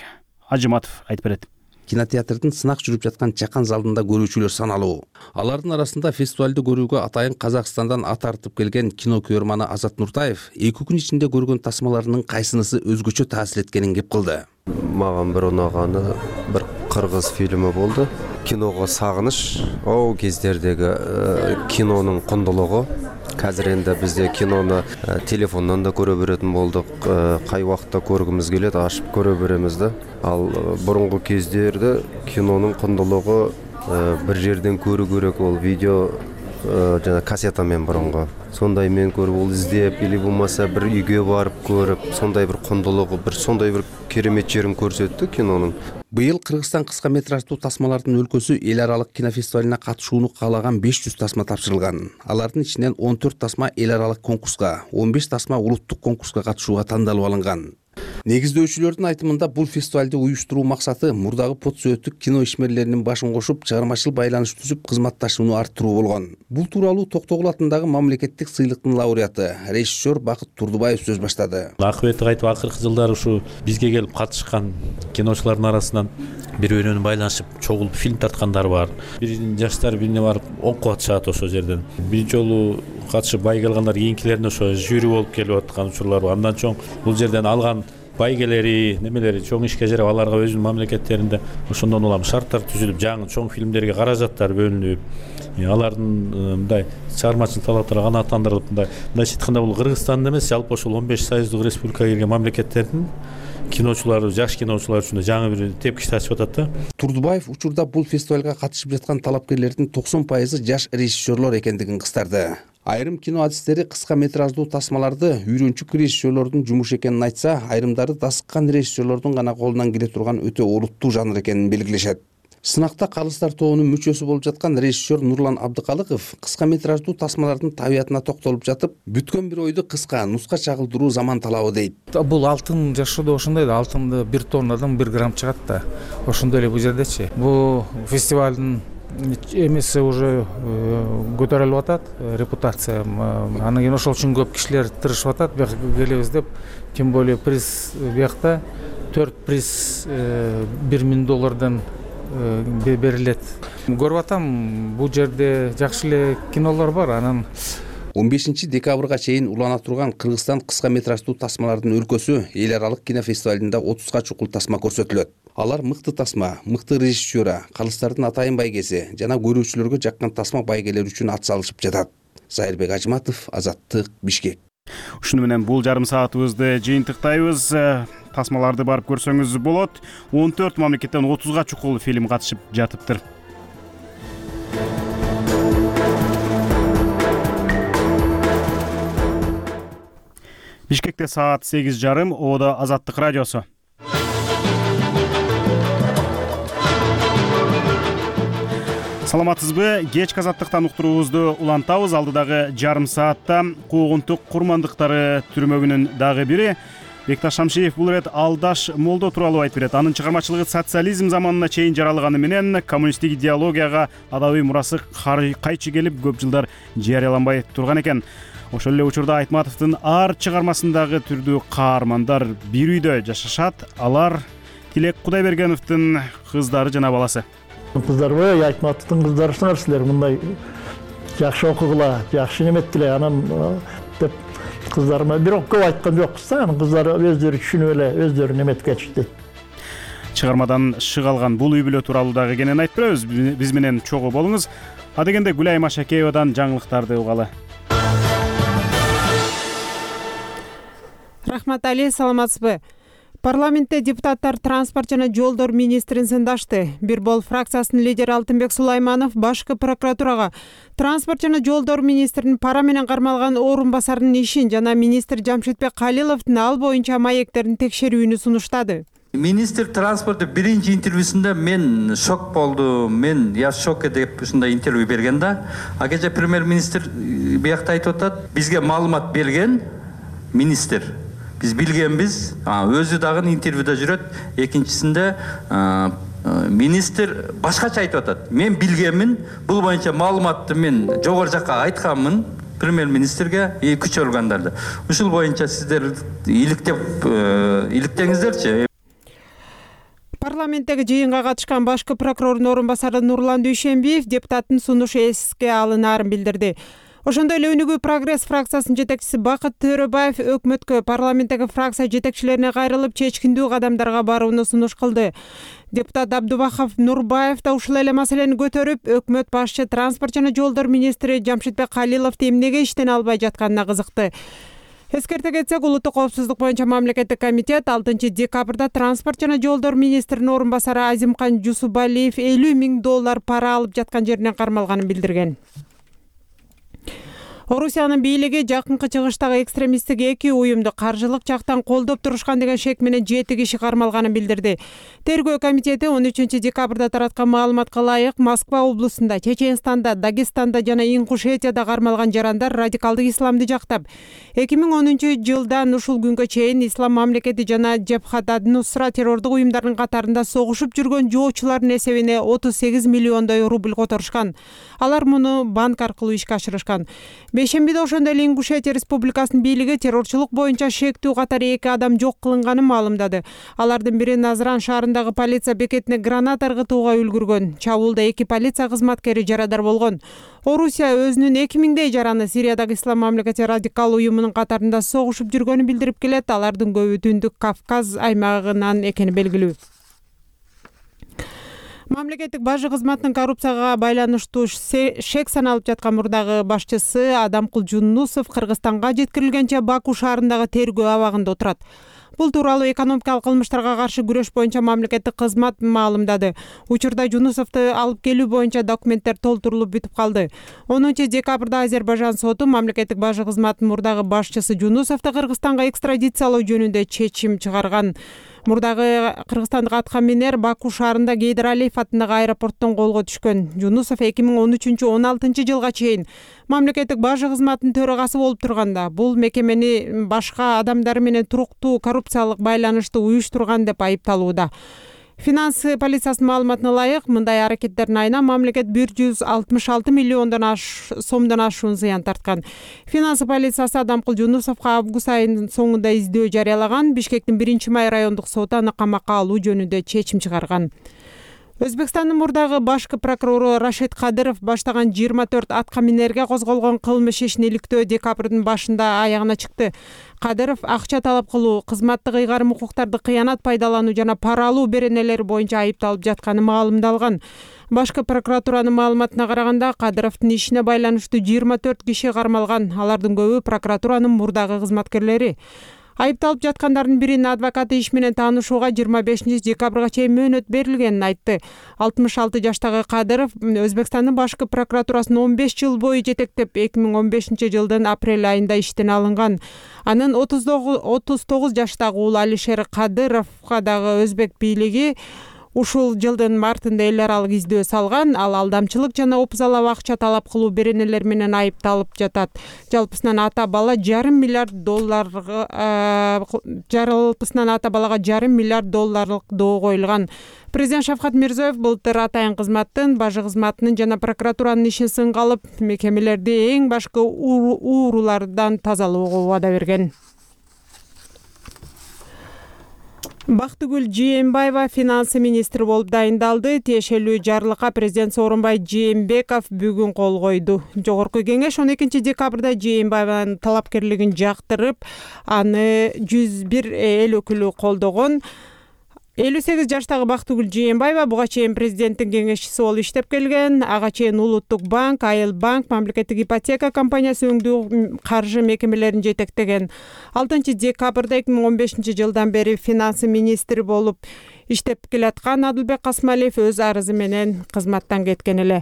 Ажыматов айтып берет. Кинотеатрдын сынак жүрүп жаткан чакан залында көрүүчүлөр саналуу. Алардын арасында фестивалды көрүүгө атайын Казакстандан ат тартып келген кино көрөрманы Азат Нуртаев 2 күн ичинде көргөн тасмаларынын кайсынысы өзгөчө таасир эткенин кеп кылды. Маған бір ұнағаны бір қырғыз фильмі болды. Киноға сағыныш, ол кездердегі киноның құндылығы. Қазір енді бізде киноны телефоннан да көре беретін болдық. Қай уақытта көргіміз келеді, ашып көре береміз да. Ал бұрынғы кездерде киноның құндылығы бір жерден көру керек, ол видео жана кассетамен бұрынғы. Сондай мен көріп, ол іздеп, или болмаса бір үйге барып көріп, сондай бір құндылығы, бір сондай бір керемет жерін көрсетті киноның. Быйыл Кыргызстан кыска метраждуу тасмалардын өлкөсү эл аралык кинофестивалына катышууну каалаган 500 тасма тапшырылган. Алардын ичинен 14 тасма эл аралык конкурска, 15 тасма улуттук конкурска катышууга тандалып алынган. Негиздөөчүлөрдүн айтымында бул фестивалды уюштуруу максаты мурдагы подсөөттүк кино ишмерлеринин башын кошуп, чыгармачыл байланыш түзүп, кызматташууну арттыруу болгон. Бул тууралуу Токтогул атындагы мамлекеттик сыйлыктын лауреаты, режиссер Бакыт Турдубаев сөз баштады. Акыбетти кайтып акыркы жылдары ушу бизге келип катышкан киночулардын арасынан бири менен байланышып, чогулуп фильм тарткандар бар. Биринин жаштары бирине барып окуп атышат ошол жерден. Биринчи жолу катышып бай келгандар кийинкилерине ошо жюри болуп келип аткан учурлар бар. Андан чоң бул жерден алган байгелери немелери чоң ишке жарап аларга өзүнүн мамлекеттеринде ошондон улам шарттар түзүлүп жаңы чоң фильмдерге каражаттар бөлүнүп алардын мындай чыгармачылык талаптары канааттандырылып мындайча айтканда бул Кыргызстандын эмес жалпы ошол 15 союздук республикага кирген мамлекеттердин киночулары жаш киночулар үчүн жаңы бир тепкичти ачып атат да. Турдубаев учурда бул фестивалга катышып жаткан талапкерлердин 90% жаш режиссерлор экендигин кыстарды. Айрым кино адистери кыска метраждуу тасмаларды үйрөнчүк режиссерлордун жумушу экенин айтса, айрымдары дасыккан режиссерлордун гана колунан келе турган өтө олуттуу жанр экенин белгилешет. Сынакта калыстар тобунун мүчөсү болуп жаткан режиссер Нурлан Абдыкалыков кыска метраждуу тасмалардын табиятына токтолуп жатып, бүткөн бир ойду кыска нуска чагылдыруу заман талабы дейт. Бул алтын жашоодо ошондой да, алтынды 1 тоннадан 1 грамм чыгат да. Ошондой эле бул жердечи. Бул фестивалдын эмеси уже көтөрүлүп атат, репутация. Анан кийин ошол үчүн көп кишилер тырышып атат, бияка келебиз деп. Тем более приз биякта 4 приз $1000 берилет. Көрүп атам, бул жерде жакшы эле кинолор бар. Анан 15 декабрга чейин улана турган Кыргызстан кыска метраждуу тасмалардын өлкөсү эл аралык кинофестивалында 30га чукул тасма көрсөтүлөт. Алар мыкты тасма, мыкты режиссера, калыстардын атайын байгеси жана көрүүчүлөргө жаккан тасма байгелери үчүн ат салышып жатат. Зайырбек Ажматов, Азаттык, Бишкек. Ушуну менен бул жарым саатыбызды жыйынтыктайбыз. Тасмаларды барып көрсөңүз болот. 14 мамлекеттен 30га чукул фильм катышып жатыптыр. Бишкекте саат 8:30, Оодо Азаттык радиосу. Саламатсызбы? Кечки Азаттыктан уктуруубузду улантабыз. Алдыдагы жарым саатта куугунтук курмандыктары түрмөгүнүн дагы бири Бекташ Шамшиев бул ирет Алдаш Молдо тууралуу айтып берет. Анын чыгармачылыгы социализм заманына чейин жаралганы менен коммунисттик идеологияга адабий мурасы кайчы келип көп жылдар жарыяланбай турган экен. Ошол эле учурда Айтматовдун ар чыгармасындагы түрдүү каармандар бир үйдө жашашат. Алар Тилек Кудайбергеновдун кыздары жана баласы. Кыздарбы, Айтматовдун кыздарысыңар силер мындай жакшы окугула, жакшы неметтиле анан деп кыздарыма бирок көп айткан жокпуз да, анан кыздары өздөрү түшүнүп эле өздөрү неметип кетишти. Чыгармадан шык алган бул үй бүлө тууралуу дагы кенен айтып беребиз. Биз менен чогуу болуңуз. Адегенде Гүлайым Ашакеевадан жаңылыктарды угалы. Рахмат Али, саламатсызбы? Парламентте депутаттар транспорт жана жолдор министрин сындашты. Бир бол фракциясынын лидери Алтынбек Сулайманов башкы прокуратурага транспорт жана жолдор министринин пара менен кармалган орун басарынын ишин жана министр Жамшитбек Калиловдун ал боюнча маектерин текшерүүнү сунуштады. Министр транспортту биринчи интервьюсунда мен шок болдум, я шок деп ушундай интервью берген да. А кечээ премьер-министр биякта айтып атат, бизге маалымат берген министр. Биз билгенбиз, өзү дагы интервьюда жүрөт. Экинчисинде министр башкача айтып атат. Мен билгенмин, бул боюнча маалыматты мен жогору жакка айтканмын премьер-министрге күч органдарды. Ушул боюнча сиздер иликтеңиздерчи. Парламенттеги жыйынга катышкан башкы прокурордун орун басары Нурлан Дүйшенбиев депутаттын сунушу эске алынаарын билдирди. Ошондой эле Өнүгүү Прогресс фракциясынын жетекчиси Бакыт Төрөбаев өкмөткө парламенттеги фракция жетекчилерине кайрылып чечкиндүү кадамдарга барууну сунуш кылды. Депутат Абдубахов Нурбаев да ушул эле маселени көтөрүп, өкмөт башчы транспорт жана жолдор министри Жамшитбек Калиловду эмнеге иштен албай жатканына кызыкты. Эскерте кетсек, улуттук коопсуздук боюнча мамлекеттик комитет 6 декабрда транспорт жана жолдор министринин орун басары Азимкан Жусубалиев $50,000 пара алып жаткан жеринен кармалганын билдирген. Орусиянын бийлиги жакынкы чыгыштагы экстремисттик 2 уюмду каржылык жактан колдоп турушкан деген шек менен 7 киши кармалганын билдирди. Тергөө комитети 13 декабрда тараткан маалыматка ылайык Москва облусунда, Чеченстанда, Дагестанда жана Ингушетияда кармалган жарандар радикалдык исламды жактап, 2010 жылдан ушул күнгө чейин Ислам мамлекети жана Жебхат ад-Нусра террордук уюмдарынын катарында согушуп жүргөн жоочулардын эсебине 38 миллиондой рубль которушкан. Алар муну банк аркылуу ишке ашырышкан. Бейшембиде ошондой эле Ингушетия Республикасынын бийлиги террорчулук боюнча шектүү катары 2 адам жок кылынганын маалымдады. Алардын бири Назран шаарындагы полиция бекетине граната ыргытууга үлгүргөн. Чабуулда 2 полиция кызматкери жарадар болгон. Орусия өзүнүн 2000дей жараны Сириядагы Ислам мамлекети радикал уюмунун катарында согушуп жүргөнүн билдирип келет. Алардын көбү Түндүк Кавказ аймагынан экени белгилүү. Мамлекеттик бажы кызматынын коррупцияга байланыштуу шек саналып жаткан мурдагы башчысы Адамкул Жунусов Кыргызстанга жеткирилгенче Баку шаарындагы тергөө абагында отурат. Бул тууралуу экономикалык кылмыштарга каршы күрөш боюнча мамлекеттик кызмат маалымдады. Учурда Жунусовду алып келүү боюнча документтер толтурулуп бүтүп калды. 10 декабрда Азербайжан соту мамлекеттик бажы кызматынын мурдагы башчысы Жунусовду Кыргызстанга экстрадициялоо жөнүндө чечим чыгарган. Мурдагы кыргызстандык аткаминер Баку шаарында Гейдар Алиев атындагы аэропорттон колго түшкөн. Жунусов 2013-16 жылга чейин мамлекеттик бажы кызматынын төрагасы болуп турганда, бул мекемени башка адамдар менен туруктуу коррупциялык байланышты уюштурган деп айыпталууда. Финанс полициясынын маалыматына ылайык, мындай аракеттердин айына мамлекет 166 миллиондон сомдон ашуун зыян тарткан. Финанс полициясы Адамкул Жунусовго август айынын соңунда издөө жарыялаган. Бишкектин 1-май райондук соту аны камакка алуу жөнүндө чечим чыгарган. Өзбекстандын мурдагы башкы прокурору Рашид Кадыров баштаган 24 аткаминерге козголгон кылмыш ишин иликтөө декабрдын башында аягына чыкты. Кадыров акча талап кылуу, кызматтык ыйгарым укуктарды кыянат пайдалануу жана пара алуу беренелери боюнча айыпталып жатканы маалымдалган. Башкы прокуратуранын маалыматына караганда, Кадыровдун ишине байланыштуу 24 киши кармалган. Алардын көбү прокуратуранын мурдагы кызматкерлери. Айыпталып жаткандардын биринин адвокаты иш менен таанышууга 25 декабрга чейин мөөнөт берилгенин айтты. 66 жаштагы Кадыров Өзбекстандын башкы прокуратурасын 15 жыл бою жетектеп, 2015 жылдын апрель айында иштен алынган. Анын 39 жаштагы уулу Алишер Кадыровго дагы өзбек бийлиги ушул жылдын мартында эл аралык издөө салган. Ал алдамчылык жана опузалап акча талап кылуу беренелер менен айыпталып жатат. Жалпысынан ата балага $500 миллиард доо коюлган. Президент Шавкат Мирзиёев былтыр атайын кызматтын, бажы кызматынын жана прокуратуранын ишин сынга алып, мекемелерди эң башкы уурулардан тазалоого убада берген. Бактыгүл Жээнбаева финанс министри болуп дайындалды. Тиешелүү жарлыкка президент Сооронбай Жээнбеков бүгүн кол койду. Жогорку кеңеш 12 декабрда Жээнбаеванын талапкерлигин жактырып, аны 101 эл өкүлү колдогон. 58 жаштагы Бактыгүл Жээнбаева буга чейин президенттин кеңешчиси болуп иштеп келген. Ага чейин Улуттук банк, Айыл банк, мамлекеттик ипотека компаниясы өңдүү каржы мекемелерин жетектеген. 6 декабрда 2015 жылдан бери финанс министри болуп иштеп келаткан Адылбек Касмалиев өз арызы менен кызматтан кеткен эле.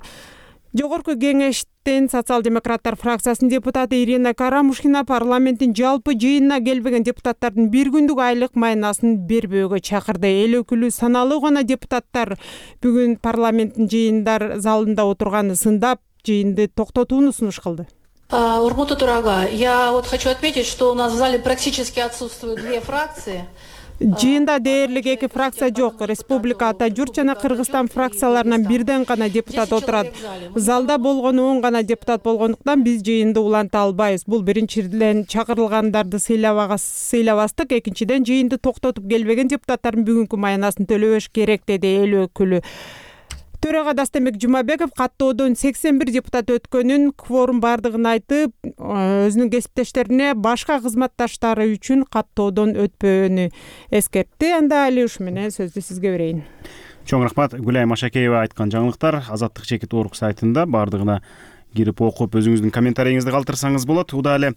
Жогорку кеңештин социал-демократтар фракциясынын депутаты Ирина Карамушкина парламенттин жалпы жыйынына келбеген депутаттардын бир күндүк айлык майнасын бербөөгө чакырды. Эл өкүлү саналуу гана депутаттар бүгүн парламенттин жыйындар залында отурганы сындап, жыйынды токтотууну сунуш кылды. Урмута Турага, я хочу отметить, что у нас в зале практически отсутствуют 2 фракции. Жыйында дээрлик 2 фракция жок. Республика, Ата Журт жана Кыргызстан фракцияларынан бирден гана депутат отурат. Залда болгону 10 гана депутат болгондуктан биз жыйынды уланта албайбыз. Бул биринчиден чакырылгандарды сыйлабастык, экинчиден жыйынды токтотуп келбеген депутаттардын бүгүнкү майнасын төлөбөш керек, деди эл өкүлү. Төрага Дастембек Жумабеков каттоодон 81 депутат өткөнүн, кворум бардыгын айтып, өзүнүн кесиптештерине башка кызматташтары үчүн каттоодон өтпөөнү эскертти. Анда али ушу менен сөздү сизге берейин. Чоң рахмат. Гүлай Машакеева айткан жаңылыктар Азаттык чекит орг сайтында бардыгына кирип окуп өзүңүздүн комментарийиңизди калтырсаңыз болот. Уда эле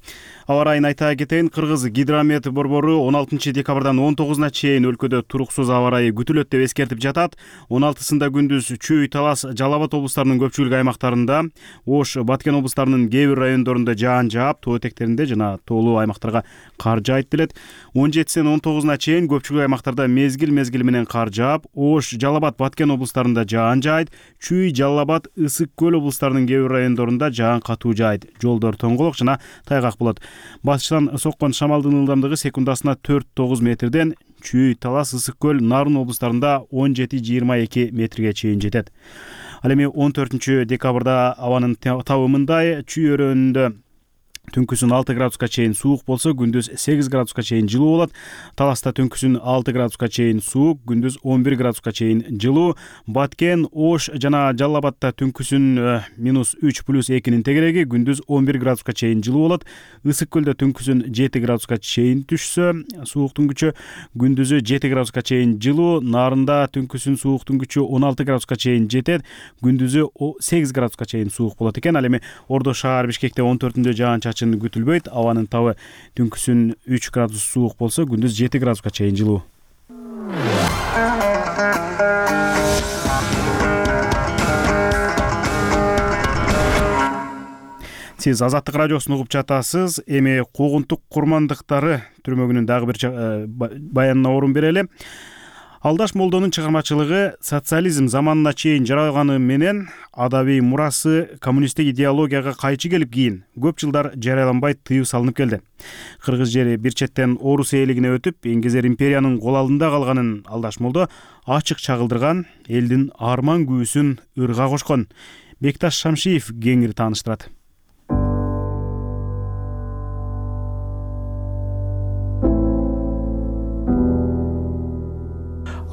аба райын айта кетейин. Кыргыз гидромет борбору 16 декабрдан 19-на чейин өлкөдө туруксуз аба райы күтүлөт деп эскертип жатат. 16-сында күндүз Чүй, Талас, Жалал Абад облустарынын көпчүлүк аймактарында, Ош, Баткен облустарынын кээ бир райондорунда жаан жаап, тоо этектеринде жана тоолуу аймактарга кар жаайт делет. 17-ден 19-на чейин көпчүлүк аймактарда мезгил менен кар жаап, Ош, Жалал Абад, Баткен облустарында жаан жаайт. Чүй, Жалал Абад, Ысык көл облустарынын кээ бир райондорунда жаан катуу жаайт. Жолдор тоңголок жана тайгак болот. Батыштан соккон шамалдын ылдамдыгы секундасына 4-9 метрден Чүй, Талас, Ысык көл, Нарын облустарында 17-22 метрге чейин жетет. Ал эми 14 декабрда абанын табы мындай: Чүй өрөөнүндө түнкүсүн 6 градуска чейин суук болсо, күндүз 8 градуска чейин жылуу болот. Таласта түнкүсүн 6 градуска чейин суук, күндүз 11 градуска чейин жылуу. Баткен, Ош жана Жалал Абадта түнкүсүн -3+2 тегереги, күндүз 11 градуска чейин жылуу болот. Ысык көлдө түнкүсүн 7 градуска чейин түшсө, сууктун күчү, күндүзү 7 градуска чейин жылуу. Нарында түнкүсүн сууктун күчү 16 градуска чейин жетет, күндүзү 8 градуска чейин суук болот экен. Ал эми Ордо шаар Бишкекте 14-ндө жаан-чачын күтүлбөйт. Абанын табы түнкүсүн 3 градус суук болсо, күндүз 7 градуска чейин жылуу. Сиз Азаттык радиосун угуп жатасыз. Эми куугунтук курмандыктары түрмөгүнүн дагы бир баянына орун берели. Алдаш Молдонун чыгармачылыгы социализм заманына чейин жаралганы менен адабий мурасы коммунисттик идеологияга кайчы келип, кийин көп жылдар жарыяланбай тыюу салынып келди. Кыргыз жери бир четтен орус ээлигине өтүп, Эңгезер империянын кол алдында калганын Алдаш Молдо ачык чагылдырган, элдин арман күүсүн ырга кошкон. Бекташ Шамшиев кеңири тааныштырат.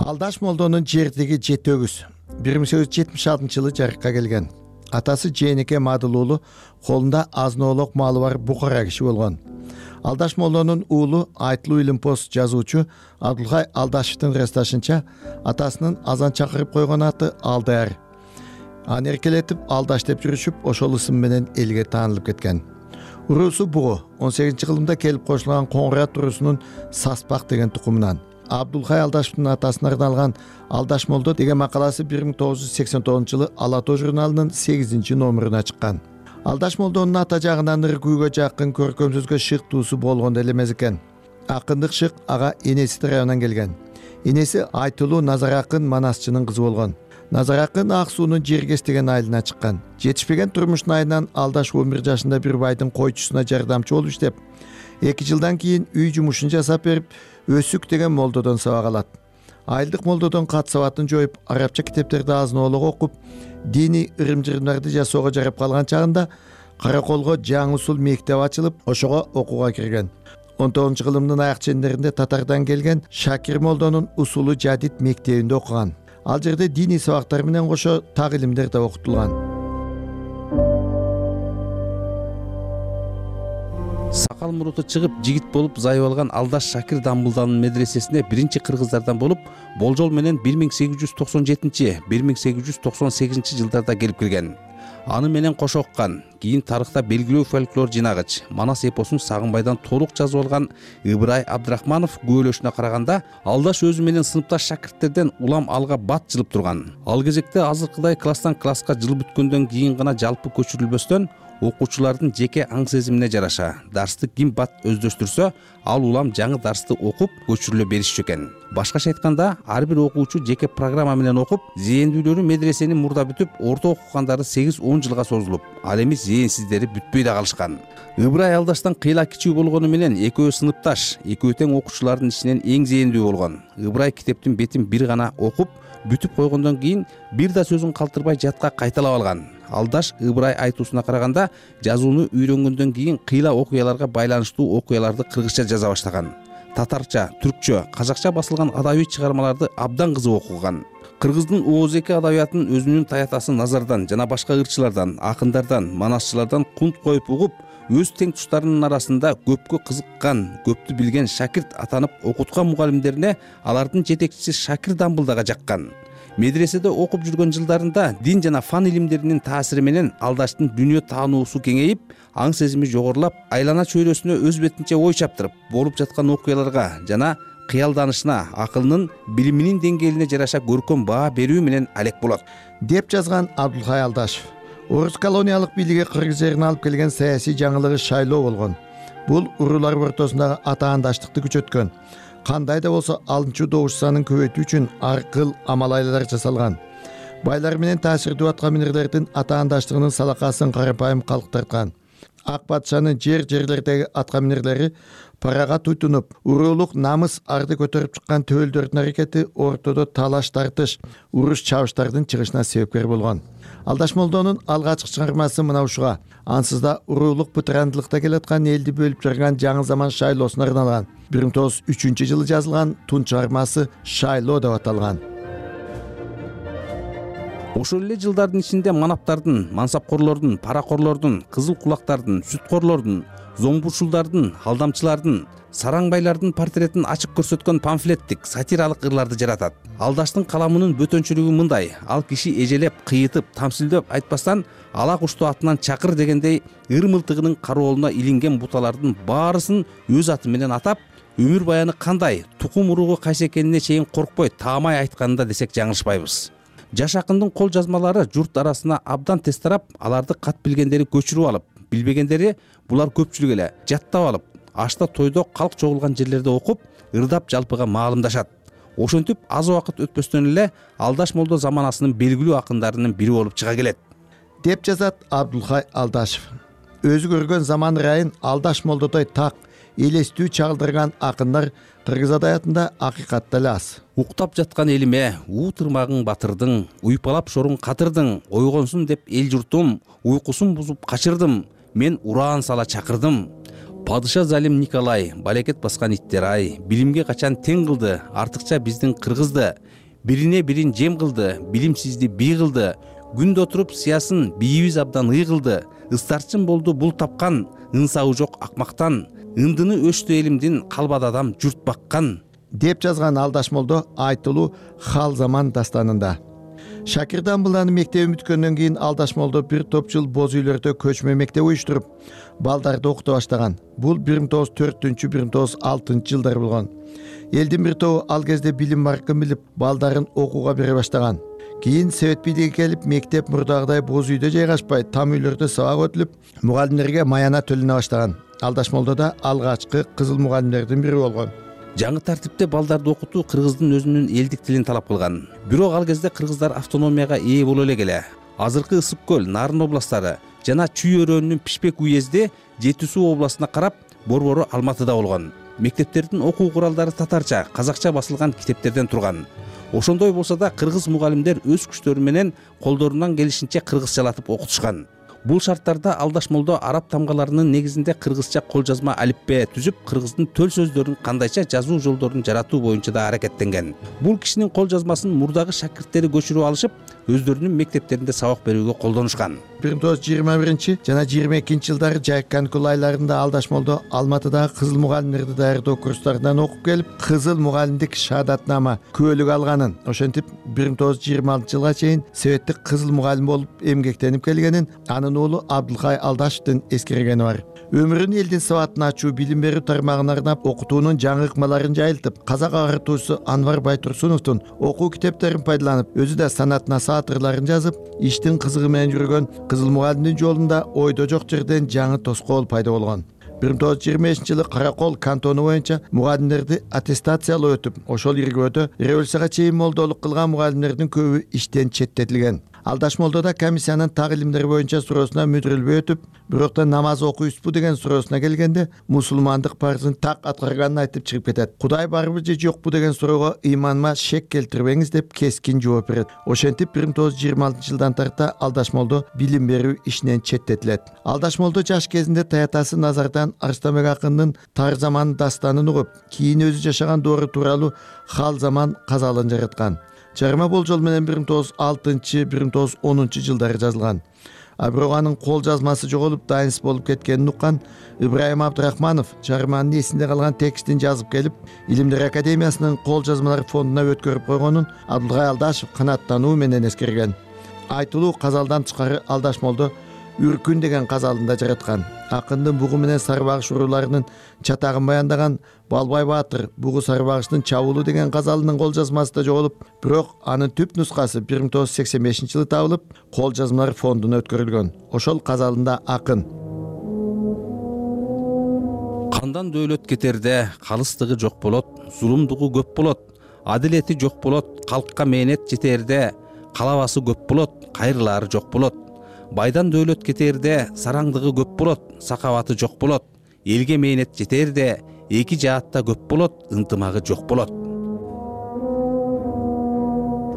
Алдаш Молдонун жердиги жети өгүз 1876-жылы жарыкка келген. Атасы Жээнеке Мадыл уулу, колунда азын-оолок малы бар букара киши болгон. Алдаш Молдонун уулу Айтылуу Илимпоз жазуучу Абдулхай Алдашевдин расташынча, атасынын азан чакырып койгон аты Алдаяр. Аны эркелетип Алдаш деп жүрүшүп, ошол ысым менен элге таанылып кеткен. Уруусу бугу 18-кылымда келип кошулган Коңгурат уруусунун Саспак деген тукумунан. Абдулхай Алдашевдин атасына арналган Алдаш Молдо деген макаласы 1989-жылы Ала Тоо журналынын 8-номеруна чыккан. Алдаш Молдонун ата жагынан ыргүүгө жакын көркөм шыктуусу болгон эле эмес экен. Акындык шык ага энеси тарабынан келген. Энеси Айтылуу Назар Акын Манасчынын кызы болгон. Назар Акын Ак суунун Жергес деген айылына чыккан. Жетишпеген турмуштун айынан Алдаш 11 жашында бир байдын койчусуна жардамчы болуп иштеп, 2 жылдан кийин үй жумушун жасап берип, Өсүк деген молдодон сабак алат. Айылдык молдодон кат сабатын жоюп, арабча китептерди азын-оолок окуп, диний ырым-жырымдарды жасоого жарап калган чагында Караколго жаңы усул мектеп ачылып, ошого окууга кирген. 19-кылымдын аяк чендеринде Татардан келген Шакир Молдонун Усулу Жадид мектебинде окуган. Ал жерде диний сабактар менен кошо так илимдер да окутулган. Сакал муруту чыгып, жигит болуп зайып алган Алдаш Шакир Дамбулданын медресесине биринчи кыргыздардан болуп, болжол менен 1897-1898 жылдарда келип кирген. Аны менен кошо оккан, кийин тарыхта белгилүү фольклор жинагыч Манас эпосун Сагынбайдан толук жазып алган Ыбырай Абдрахманов күбөлөшүнө караганда, Алдаш өзү менен сыныпташ шакирттерден улам алга бат жылып турган. Ал кезекте азыркыдай класстан класска жыл бүткөндөн кийин гана жалпы көчүрүлбөстөн, окуучулардын жеке аң сезимине жараша дарсты ким бат өздөштүрсө, ал улам жаңы дарсты окуп көчүрүлө беришчү экен. Башкача айтканда, ар бир окуучу жеке программа менен окуп, зээндүүлөрү медресени мурда бүтүп, орто окугандары 8-10 жылга созулуп, ал эми зээнсиздери бүтпөй да калышкан. Ыбырай Алдаштан кыйла кичүү болгону менен экөө сыныпташ, экөө тең окуучулардын ичинен эң зээндүү болгон. Ыбырай китептин бетин бир гана окуп, бүтүп койгондон кийин бир да сөзүн калтырбай жатка кайталап алган. Алдаш Ыбырай айтуусуна караганда, жазууну үйрөнгөндөн кийин кыйла окуяларга байланыштуу окуяларды кыргызча жаза баштаган. Татарча, түркчө, казакча басылган адабий чыгармаларды абдан кызык окуган. Кыргыздын ооз-эки адабиятын өзүнүн таятасы Назардан жана башка ырчылардан, акындардан, манасчылардан кунт коюп угуп, өз тең туштарынын арасында көпкө кызыккан, көптү билген шакирт атанып окуткан мугалимдерине алардын жетекчиси Шакир Дамбулдага жаккан. Медреседе окуп жүргөн жылдарында дин жана фан илимдеринин таасири менен Алдаштын дүйнө таануусу кеңейип, аң сезими жогорулап, айлана чөйрөсүнө өз бетинче ой чаптырып, болуп жаткан окуяларга жана кыялданышына, акылынын, билиминин деңгээлине жараша көркөм баа берүү менен алек болот, деп жазган Абдулхай Алдашев. Орус колониялык бийлиги Кыргыз жерине алып келген саясий жаңылыгы шайлоо болгон. Бул уруулар ортосундагы атаандаштыкты күчөткөн. Кандай да болсо алынчу добуш санын көбөйтүү үчүн ар кыл амал-айлар жасалган. Байлар менен таасирдүү аткаминерлердин атаандаштыгынын салакасын карапайым калк тарткан. ак патшанын жерлердеги аткаминерлери парага туйтунуп, уруулук намыс арды көтөрүп чыккан төөлдөрдүн аракети ортодо талаш тартыш, уруш чабыштардын чыгышына себепкер болгон. Алдаш Молдонун алгачкы чыгармасы мына ушуга. Ансыз да уруулук бытырандылыкта келаткан элди бөлүп жарган жаңы заман шайлоосуна арналган 1903-жылы жазылган тун чыгармасы Шайлоо деп аталган. Ошол эле жылдардын ичинде манаптардын, мансапкорлордун, паракорлордун, кызыл кулактардын, сүткорлордун, зомбушулдардын, алдамчылардын, сараңбайлардын портретин ачык көрсөткөн памфлеттик, сатиралык ырларды жаратат. Алдаштын каламынын бөтөнчүлүгү мындай: ал киши эжелеп, кыйытып, тамсилдеп айтпастан ала кушту атынан чакыр дегендей ыр мылтыгынын кароолуна илинген буталардын баарысын өз аты менен атап, өмүр баяны кандай, тукум уругу кайсы экенине чейин коркпой таамай айтканында десек жаңылышпайбыз. Жаш акындын кол жазмалары журт арасына абдан тез тарап, аларды кат билгендери көчүрүп алып, билбегендери булар көпчүлүк эле жаттап алып, ашта тойдо калк чогулган жерлерде окуп, ырдап жалпыга маалымдашат. Ошентип аз убакыт өтпөстөн эле Алдаш Молдо заманасынын белгилүү акындарынын бири болуп чыга келет, деп жазат Абдулхай Алдашев. Өзү көргөн заман ырайын Алдаш Молдодой так, элестүү чагылдырган акындар кыргыз адабиятында акыйкатта эле аз. Уктап жаткан элиме уу тырмагың батырдың, уйпалап шоруң катырдың, ойгонсун деп эл журтум, уйкусун бузуп качырдым, мен ураан сала чакырдым. Падыша залим Николай, балекет баскан иттер ай, билимге качан тең кылды, артыкча биздин кыргызды, бирине бирин жем кылды, билимсизди бий кылды, күндө отуруп сыясын бийибиз абдан ый кылды, ыстарчын болду бул тапкан, ынсабы жок акмактан, ындыны өштү элимдин калбады адам журт баккан, деп жазган Алдаш Молдо айтылуу Хал заман дастанында. Шакирдан Буланы мектеп бүткөндөн кийин Алдаш Молдо бир топ жыл боз үйлөрдө көчмө мектеп уюштуруп, балдарды окута баштаган. Бул 1904-1906 жылдар болгон. Элдин бир тобу ал кезде билим баркын билип, балдарын окууга бере баштаган. Кийин Совет бийлиги келип, мектеп мурдагыдай боз үйдө жайгашпай, там үйлөрдө сабак өтүлүп, мугалимдерге маяна төлөнө баштаган. Алдаш Молдо да алгачкы кызыл мугалимдердин бири болгон. Жаңы тартипте балдарды окутуу кыргыздын өзүнүн элдик тилин талап кылган. Бирок ал кезде кыргыздар автономияга ээ боло эле келе. Азыркы Ысык көл, Нарын областтары жана Чүй өрөөнүнүн Пишпек уезди Жети Суу областына карап, борбору Алматыда болгон. Мектептердин окуу куралдары татарча, казакча басылган китептерден турган. Ошондой болсо да кыргыз мугалимдер өз күчтөрү менен колдорунан келишинче кыргызчалатып окутушкан. Бул шарттарда Алдаш Молдо араб тамгаларынын негизинде кыргызча кол жазма алипбе түзүп, кыргыздын төл сөздөрүн кандайча жазуу жолдорун жаратуу боюнча да аракеттенген. Бул кишинин кол жазмасын мурдагы шакирттери көчүрүп алышып, өздөрүнүн мектептеринде сабак берүүгө колдонушкан. 1921 жана 22 жылдары жайык каникул айларында Алдаш Молдо Алматыдагы кызыл мугалимдерди даярдоо курстарынан окуп келип, кызыл мугалимдик шаадатнама күбөлүк алганын, ошентип 1926 жылга чейин Советтик кызыл мугалим болуп эмгектенип келгенин анын уулу Абдулхай Алдашевдин эскергени бар. Өмүрүн элдин сабатын ачуу, билим берүү тармагына арнап, окутуунун жаңы ыкмаларын жайылтып, казак агартуучусу Анвар Байтурсуновдун окуу китептерин пайдаланып, өзү да санатына саатырларын жазып, иштин кызыгы менен жүргөн кызыл мугалимдин жолунда ойдо жок жерден жаңы тоскоол пайда болгон. 1925-жылы Каракол кантону боюнча мугалимдерди аттестациялоо өтүп, ошол иргөөдө революцияга чейин молдолук кылган мугалимдердин көбү иштен четтетилген. Алдаш Молдо да комиссиянын так илимдер боюнча суроосуна мүдүрүлбөй өтүп, бирок да намаз окуйсузбу деген суроосуна келгенде мусулмандык парызын так аткарганын айтып чыгып кетет. Кудай барбы же жокпу деген суроого ыйманыма шек келтирбеңиз деп кескин жооп берет. Ошентип 1926 жылдан тарта Алдаш Молдо билим берүү ишинен четтетилет. Алдаш Молдо жаш кезинде таятасы Назардан Арыстанбек акындын Тар заман дастанын угуп, кийин өзү жашаган доору тууралуу Хал заман казалын жараткан. Чыгарма болжол менен 1906-1910 жылдары жазылган. А бирок анын кол жазмасы жоголуп, дайынсыз болуп кеткенин уккан Ибраим Абдрахманов чыгарманын эсинде калган текстин жазып келип, Илимдер академиясынын кол жазмалар фондуна өткөрүп койгонун Абдулгай Алдашев канааттануу менен эскерген. Айтылуу казалдан тышкары Алдаш Молдо Үркүн деген казалында жараткан. Акындын бугу менен сарбагыш урууларынын чатагын баяндаган Балбай Баатыр бугу сарбагыштын чабуулу деген казалынын кол жазмасы да жоголуп, бирок анын түп нускасы 1985-жылы табылып, кол жазмалар фондуна өткөрүлгөн. Ошол казалында акын: кандан дөөлөт кетерде калыстыгы жок болот, зулумдугу көп болот, адилети жок болот, калкка мээнет жетерде калабасы көп болот, кайрылаары жок болот. Байдан дөөлөт кетерде сараңдыгы көп болот, сакабаты жок болот. Элге мээнет жетерде эки жаатта көп болот, ынтымагы жок болот.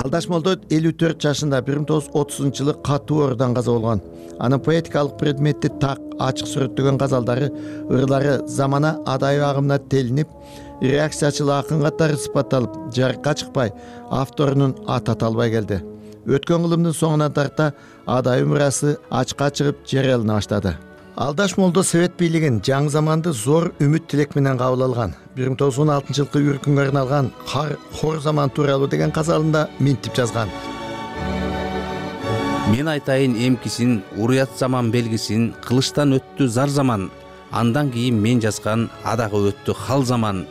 Алдаш Молдо 54 жашында 1930-жылы катуу оорудан каза болгон. Анын поэтикалык предметти так, ачык сүрөттөгөн газалдары, ырлары замана адайы агымына телинип, реакциячыл акын катары сыпатталып, жарыкка чыкпай, авторунун аты аталбай келди. Өткөн кылымдын соңуна тарта адайы мурасы ачыкка чыгып жарыялана баштады. Алдаш Молдо Совет бийлигин жаңы заманды зор үмүт тилек менен кабыл алган. 1916-жылкы үркүнгө арналган Хор заман тууралуу деген казалында минтип жазган. Мен айтайын эмкисин, уруят заман белгисин, кылычтан өттү зар заман. Андан кийин мен жазган адагы өттү хал заман.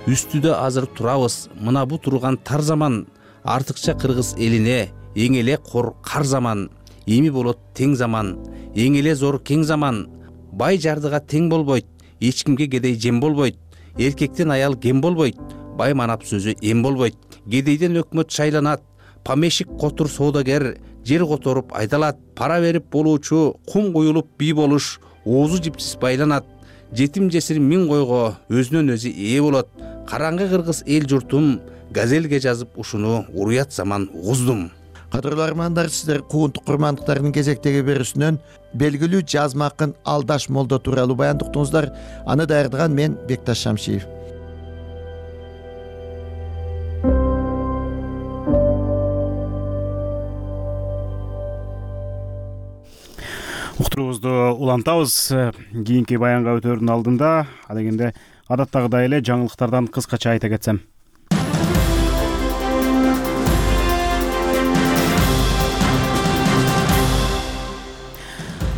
Үстүдө азыр турабыз, мына бу турган тар заман. Артыкча кыргыз элине эң эле кар заман. Эми болот тең заман, эң эле зор кең заман. Бай жардыга тең болбойт, эч кимге кедей жем болбойт. Эркектен аял кем болбойт, бай манап сөзү эм болбойт. Кедейден өкмөт шайланат, помещик котур соодагер, жер которуп айдалат. Пара берип болуучу, кум куюлуп бий болуш, оозу жипсиз байланат. Жетим жесир миң койго өзүнөн өзү ээ болот. Караңгы кыргыз эл журтум, газелге жазып ушуну уруят заман угуздум. Кадырлуу армандар, сиздер куунтук курмандыктардын кезектеги берүүсүнөн белгилүү жазма акын Алдаш Молдо тууралуу баян уктуңуздар. Аны даярдаган мен Бекташ Шамшиев. Уктуруубузду улантабыз. Кийинки баянга өтөөрдүн алдында адегенде адаттагыдай эле жаңылыктардан кыскача айта кетсем.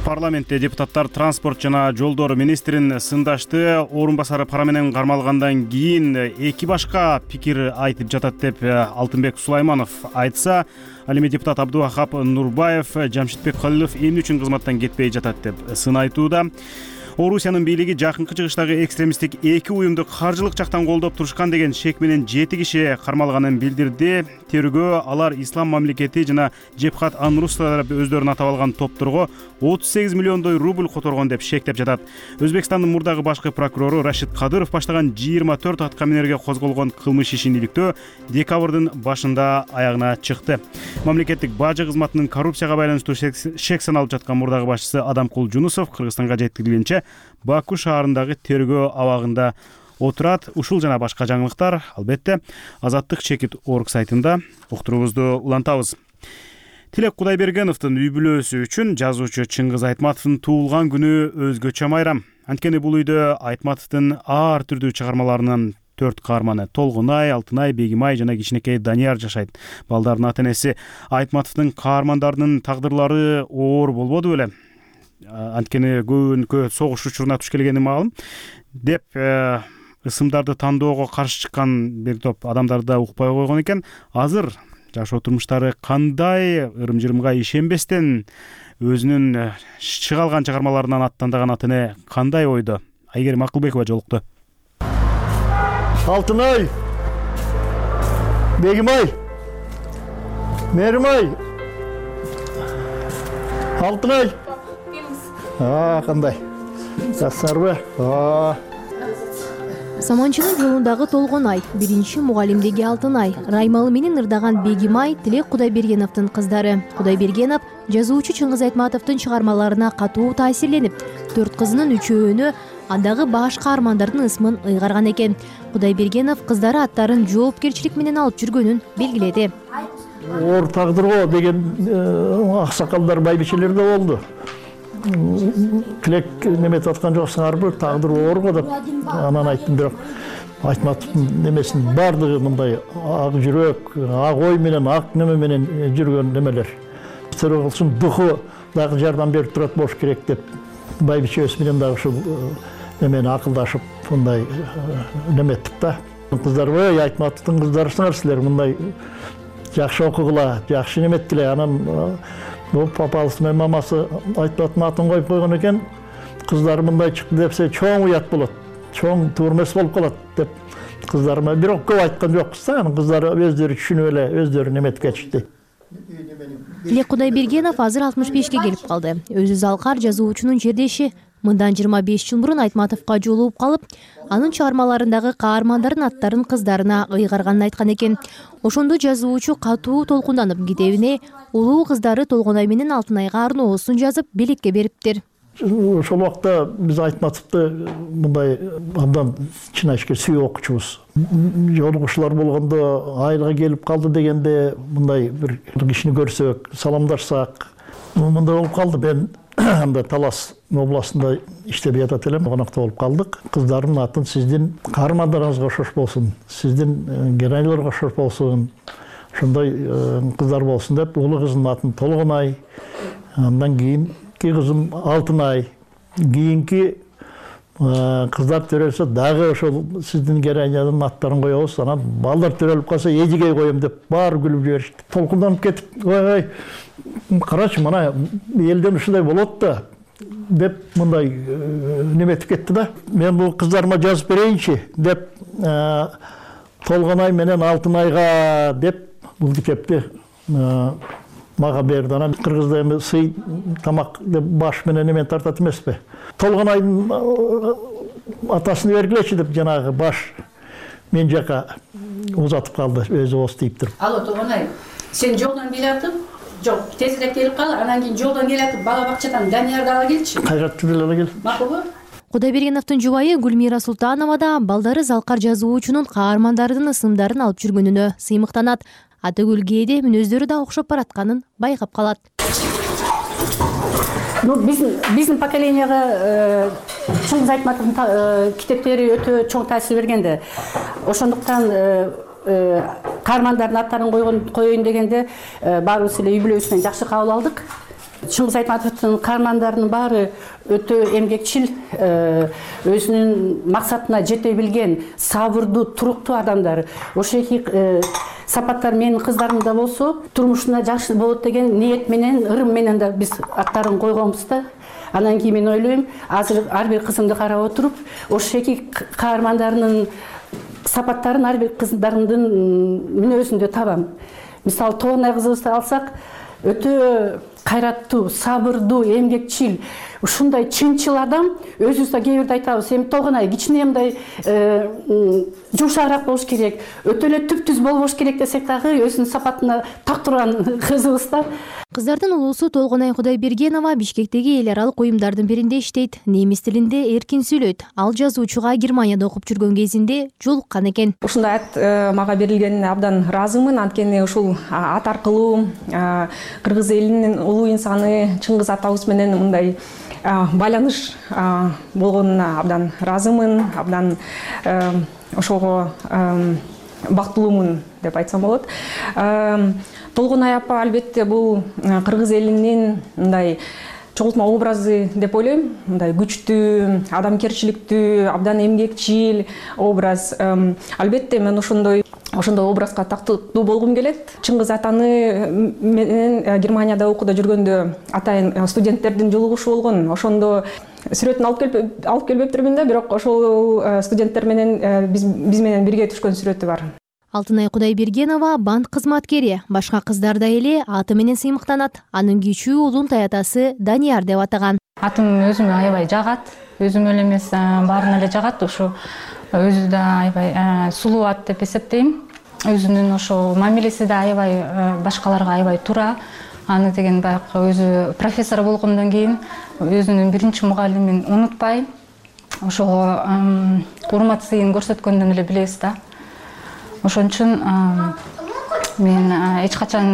Парламентте депутаттар транспорт жана жолдор министрин сындашты. Орун басары пара менен кармалгандан кийин эки башка пикир айтып жатат деп Алтынбек Сулайманов айтса, ал эми депутат Абдувахап Нурбаев Жамшитбек Калилов эмне үчүн кызматтан кетпей жатат деп сын айтууда. Орусиянын бийлиги жакынкы чыгыштагы экстремисттик эки уюмду каржылык жактан колдоп турушкан деген шек менен 7 киши кармалганын билдирди. Тергөө алар Ислам мамлекети жана Жебхат Ан-Нусра деп өздөрүн атап алган топторго 38 миллиондой рубль которгон деп шектеп жатат. Өзбекстандын мурдагы башкы прокурору Рашид Кадыров баштаган 24 аткаминерге козголгон кылмыш ишин иликтөө декабрдын башында аягына чыкты. Мамлекеттик бажы кызматынын коррупцияга байланыштуу шек саналып жаткан мурдагы башчысы Адамкул Жунусов Кыргызстанга жеткирилгенче Баку шаарындагы тергөө абагында отурат. Ушул жана башка жаңылыктар албетте Азаттык чекит орг сайтында уктуруубузду улантабыз. Тилек Кудайбергеновдун үй бүлөсү үчүн жазуучу Чыңгыз Айтматовдун туулган күнү өзгөчө майрам. Анткени бул үйдө Айтматовдун ар түрдүү чыгармаларынын 4 каарманы Толгунай, Алтынай, Бегимай жана кичинекей Данияр жашайт. Балдардын ата-энеси Айтматовдун каармандарынын тагдырлары оор болбоду беле? Анткени көбүнкү согуш учуруна туш келгени маалым деп ысымдарды тандоого каршы чыккан бир топ адамдарды да укпай койгон экен. Азыр жашоо турмуштары кандай, ырым-жырымга ишенбестен өзүнүн чыга алган чыгармаларынан аттандаган ата-эне кандай ойдо? Айгерим Акылбекова жолукту. Алтынай, Бегимай, Меримай, Алтынай. Кандай? Жакшырбы? Саманчынын жолундагы Толгонай, биринчи мугалимдеги Алтынай, Раймалы менен ырдаган Бегимай Тилек Кудайбергеновдун кыздары. Кудайбергенов жазуучу Чыңгыз Айтматовдун чыгармаларына катуу таасирленип, 4 кызынын 3-өөнү андагы баш каармандардын ысмын ыйгарган экен. Кудайбергенов кыздары аттарын жоопкерчилик менен алып жүргөнүн белгиледи. Оор тагдырго деген аксакалдар, байбичелер да болду. Тилек неметип аткан жоксуңарбы, тагдыр оорго деп анан айттым, бирок Айтматовдун немесинин бардыгы мындай ак жүрөк, ак ой менен, ак неме менен жүргөн немелер. Себеби кылсын духу дагы жардам берип турат болуш керек деп байбичебиз менен дагы ушул немени акылдашып мындай неметип да. Кыздарбы, Айтматовдун кыздарысыңар силер, мындай жакшы окугула, жакшы неметтиле. Анан бул папасы менен мамасы Айтматовдун атын коюп койгон экен. Кыздары мындай чыкты депсе чоң уят болот, чоң турмес болуп калат деп кыздарыма бирок көп айткан жокпуз да. Анан кыздары өздөрү түшүнүп эле өздөрү неметип кетишти. Тилек Кудайбергенов азыр 65-ке келип калды. Өзү Залкар жазуучунун жердеши. Мындан 25 жыл мурун Айтматовго жолугуп калып, анын чыгармаларындагы каармандардын аттарын кыздарына ыйгарганын айткан экен. Ошондо жазуучу катуу толкунданып, китебине улуу кыздары Толгонай менен Алтынайга арноосун жазып, белекке бериптир. Ошол убакта биз Айтматовду мындай абдан чынайышке сүйүп окучубуз. Жолугушуулар болгондо айылга келип калды дегенде мындай бир кишини көрсөк, саламдашсак, мындай болуп калды. Мен анда Талас областында иштеп жатат элем, конокто болуп калдык. Кыздардын атын сиздин каармандарыңызга окшош болсун, сиздин геройлорго окшош болсун, ошондой кыздар болсун деп, улуу кыздын атын Толгонай, андан кийинки кызым Алтынай, кийинки кыздар төрөлсө дагы ошол сиздин героинянын аттарын коебуз, анан балдар төрөлүп калса Эжигей коем деп баары күлүп жиберишти. Толкунданып кетип, ой, карачы, мына элден ушундай болот да деп мындай неметип кетти да. Мен бул кыздарыма жазып берейинчи деп, Толгонай менен Алтынайга деп бул китепти мага берди. Анан кыргызда эми сый тамак деп баш менен эмен тартат эмеспи? Толгонайдын атасын бергилечи деп жанагы баш мен жака узатып калды, өзү ос дейп туруп. Алло, Толгонай, сен жолдон келатып, жок, тезирээк келип кал, анан кийин жолдон келатып бала бакчадан Даниярды ала келчи. Кайрат ала кел. Макулбу? Кудайбергеновдун жубайы Гүлмира Султанова да балдары Залкар жазуучунун каармандардын ысымдарын алып жүргөнүнө сыймыктанат. Атагүл кээде мүнөздөрү да окшоп баратканын байкап калат. Биздин поколенияга Чыңгыз Айтматовдун китептери өтө чоң таасир бергенде. Ошондуктан каармандардын аттарын коеюн дегенде баарыбыз эле үй бүлөбүз жакшы кабыл алдык. Чыңгыз Айтматовдун каармандарынын баары өтө эмгекчил, өзүнүн максатына жете билген, сабырдуу, туруктуу адамдар. Ошол эки сапаттар менин кыздарымда болсо, турмушуна жакшы болот деген ниет менен, ырым менен да биз аттарын койгонбуз да. Анан кийин мен ойлойм, азыр ар бир кызымды карап отуруп, ошол эки каармандарынын сапаттарын ар бир кыздарымдын мүнөзүндө табам. Мисалы, Толгонай кызыбызды алсак, өтө кайраттуу, сабырдуу, эмгекчил, ушундай чынчыл адам. Өзүбүз да кээ бирде айтабыз, эми Толгонай кичине мындай жумшагыраак болуш керек, өтө эле түп-түз болбош керек десек дагы өзүнүн сапатына так турган кызыбыз да. Кыздардын улуусу Толгонай Кудайбергенова Бишкектеги эл аралык уюмдардын биринде иштейт. Немис тилинде эркин сүйлөйт. Ал жазуучуга Германияда окуп жүргөн кезинде жолуккан экен. Ушундай ат мага берилгенине абдан ыраазымын. Анткени ушул ат аркылуу кыргыз элинин улуу инсаны Чыңгыз атабыз менен мындай байланыш болгонуна абдан ыраазымын. Абдан ошого бактылуумун деп айтсам болот. Толгонай апа албетте бул кыргыз элинин мындай чогултма образы деп ойлойм. Мындай күчтүү, адамгерчиликтүү, абдан эмгекчил образ. Албетте мен ошондой образга тактуу болгум келет. Чыңгыз атаны менен Германияда окууда жүргөндө атайын студенттердин жолугушу болгон. Ошондо сүрөтүн алып келбептирмин да, бирок ошол студенттер менен биз менен бирге түшкөн сүрөтү бар. Алтынай Кудайбергенова банк кызматкери, башка кыздар да эле аты менен сыймыктанат. Анын кичүү уулун таятасы Данияр деп атаган. Атым өзүмө аябай жагат, өзүмө эле эмес баарына эле жагат. Ошо өзү да аябай сулуу ат деп эсептейм. Өзүнүн ошо мамилеси да аябай башкаларга аябай туура. Аны деген баягы өзү профессор болгондон кийин өзүнүн биринчи мугалимин унутпай, ошого урмат сыйын көрсөткөндөн эле билебиз да. Ошон үчүн мен эч качан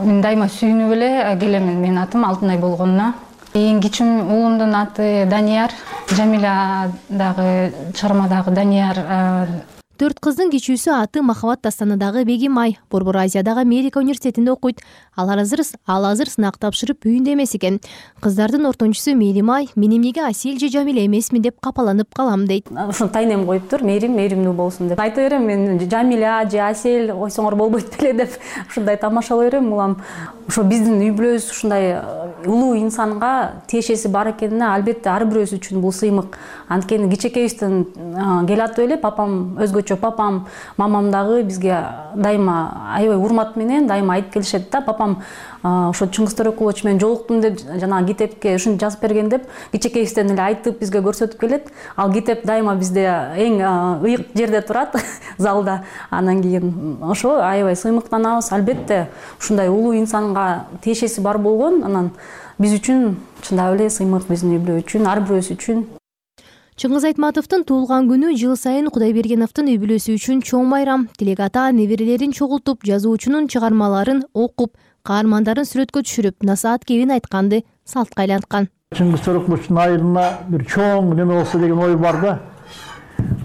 мен дайыма сүйүнүп эле келемин менин атым Алтынай болгонуна. Эң кичүүм уулумдун аты Данияр, Жамиля дагы чыгармадагы Данияр. 4 кыздын кичүүсү аты Махабат Тастаныдагы Бегимай, Борбор Азиядагы Америка университетинде окуйт. Ал азыр сынак тапшырып үйүндө эмес экен. Кыздардын ортончусу Мейримай, мен эмнеге Асель же Жамиля эмесмин деп капаланып калам дейт. Ушун тайнем коюптур, мээримдүү болсун деп. Айта берем, мен Жамиля же Асель ойсоңор болбойт беле деп ушундай тамашалай берем. Улам ошо биздин үй бүлөбүз ушундай улуу инсанга тиешеси бар экенине албетте ар бирөөбүз үчүн бул сыймык. Анткени кичекейибизден келатып эле папам өзгөчө өзгөчө папам мамам дагы бизге дайыма аябай урмат менен дайыма айтып келишет да. Папам ошо Чыңгыз Төрөкулович менен жолуктум деп жанагы китепке ушинтип жазып берген деп кичекейибизден эле айтып бизге көрсөтүп келет. Ал китеп дайыма бизде эң ыйык жерде турат залда. Анан кийин ошо аябай сыймыктанабыз. Албетте ушундай улуу инсанга тиешеси бар болгон. Анан биз үчүн чындап эле сыймык, биздин үй-бүлө үчүн, ар бирөөсү үчүн. Чыңгыз Айтматовдун туулган күнү жыл сайын Кудайбергеновдун үй бүлөсү үчүн чоң байрам. Тилек ата неберелерин чогултуп, жазуучунун чыгармаларын окуп, каармандарын сүрөткө түшүрүп, насаат кебин айтканды салтка айланткан. Чыңгыз Төрөкуловдун айылына бир чоң неме болсо деген ой бар да.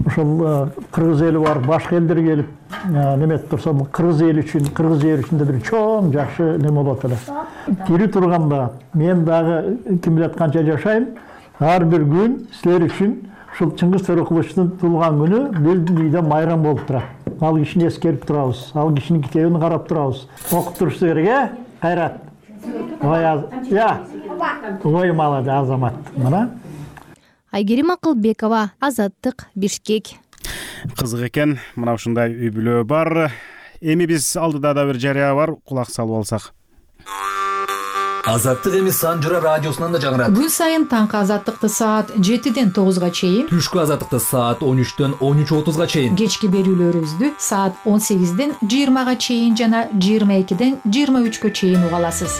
Ошол кыргыз эли бар, башка элдер келип неметип турса, кыргыз эли үчүн, кыргыз жери үчүн бир чоң жакшы неме болот эле. Тирүү турганда мен дагы ким билет канча жашайм, ар бир күн силер үчүн ушул Чыңгыз Төрөкуловдун туулган күнү бир үйдө майрам болуп турат. Ал кишини эскерип турабыз, ал кишинин китебин карап турабыз. Окуп турушуңар керек, кайрат. Ой молодец, Азамат. Мына. Айгерим Акылбекова, Азаттык, Бишкек. Кызык экен, мына ушундай үй бүлө бар. Эми биз алдыда да бир жарыя бар, кулак салып алсак. Азаттык эми Санжыра радиосунан да жаңырат. Күн сайын таңкы азаттыкты саат 7-ден 9-га чейин, Түшкү азаттыкты саат 13-төн 13:30-га чейин, кечки берүүлөрүбүздү саат 18-ден 20-га чейин жана 22-ден 23-кө чейин уга аласыз.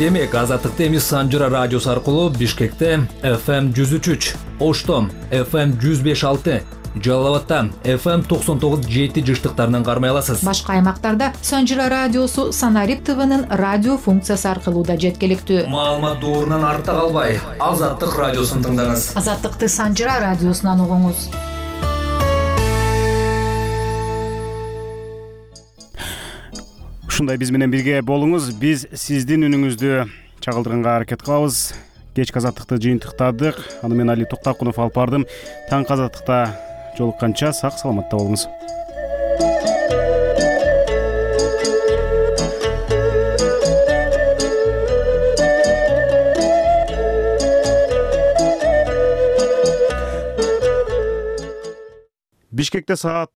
Демек, азаттыкты эми Санжыра радиосу аркылуу Бишкекте FM 103, Ошто FM 105.6, Жалал-Абадта FM 99.7 жыштыктарынан кармай аласыз. Башка аймактарда Санжыра радиосу Санарип ТВнын радио функциясы аркылуу да жеткиликтүү. Маалымат доорунан артта калбай, Азаттык радиосун тыңдаңыз. Азаттыкты Санжыра радиосунан угуңуз. Ушундай биз менен бирге болуңуз. Биз сиздин үнүңүздү чагылдырганга аракет кылабыз. Кечки азаттыкты жыйынтыктадык. Аны мен Али Токтакунов алып бардым. Таңкы азаттыкта жолукканча сак саламатта болуңуз. Бишкекте саат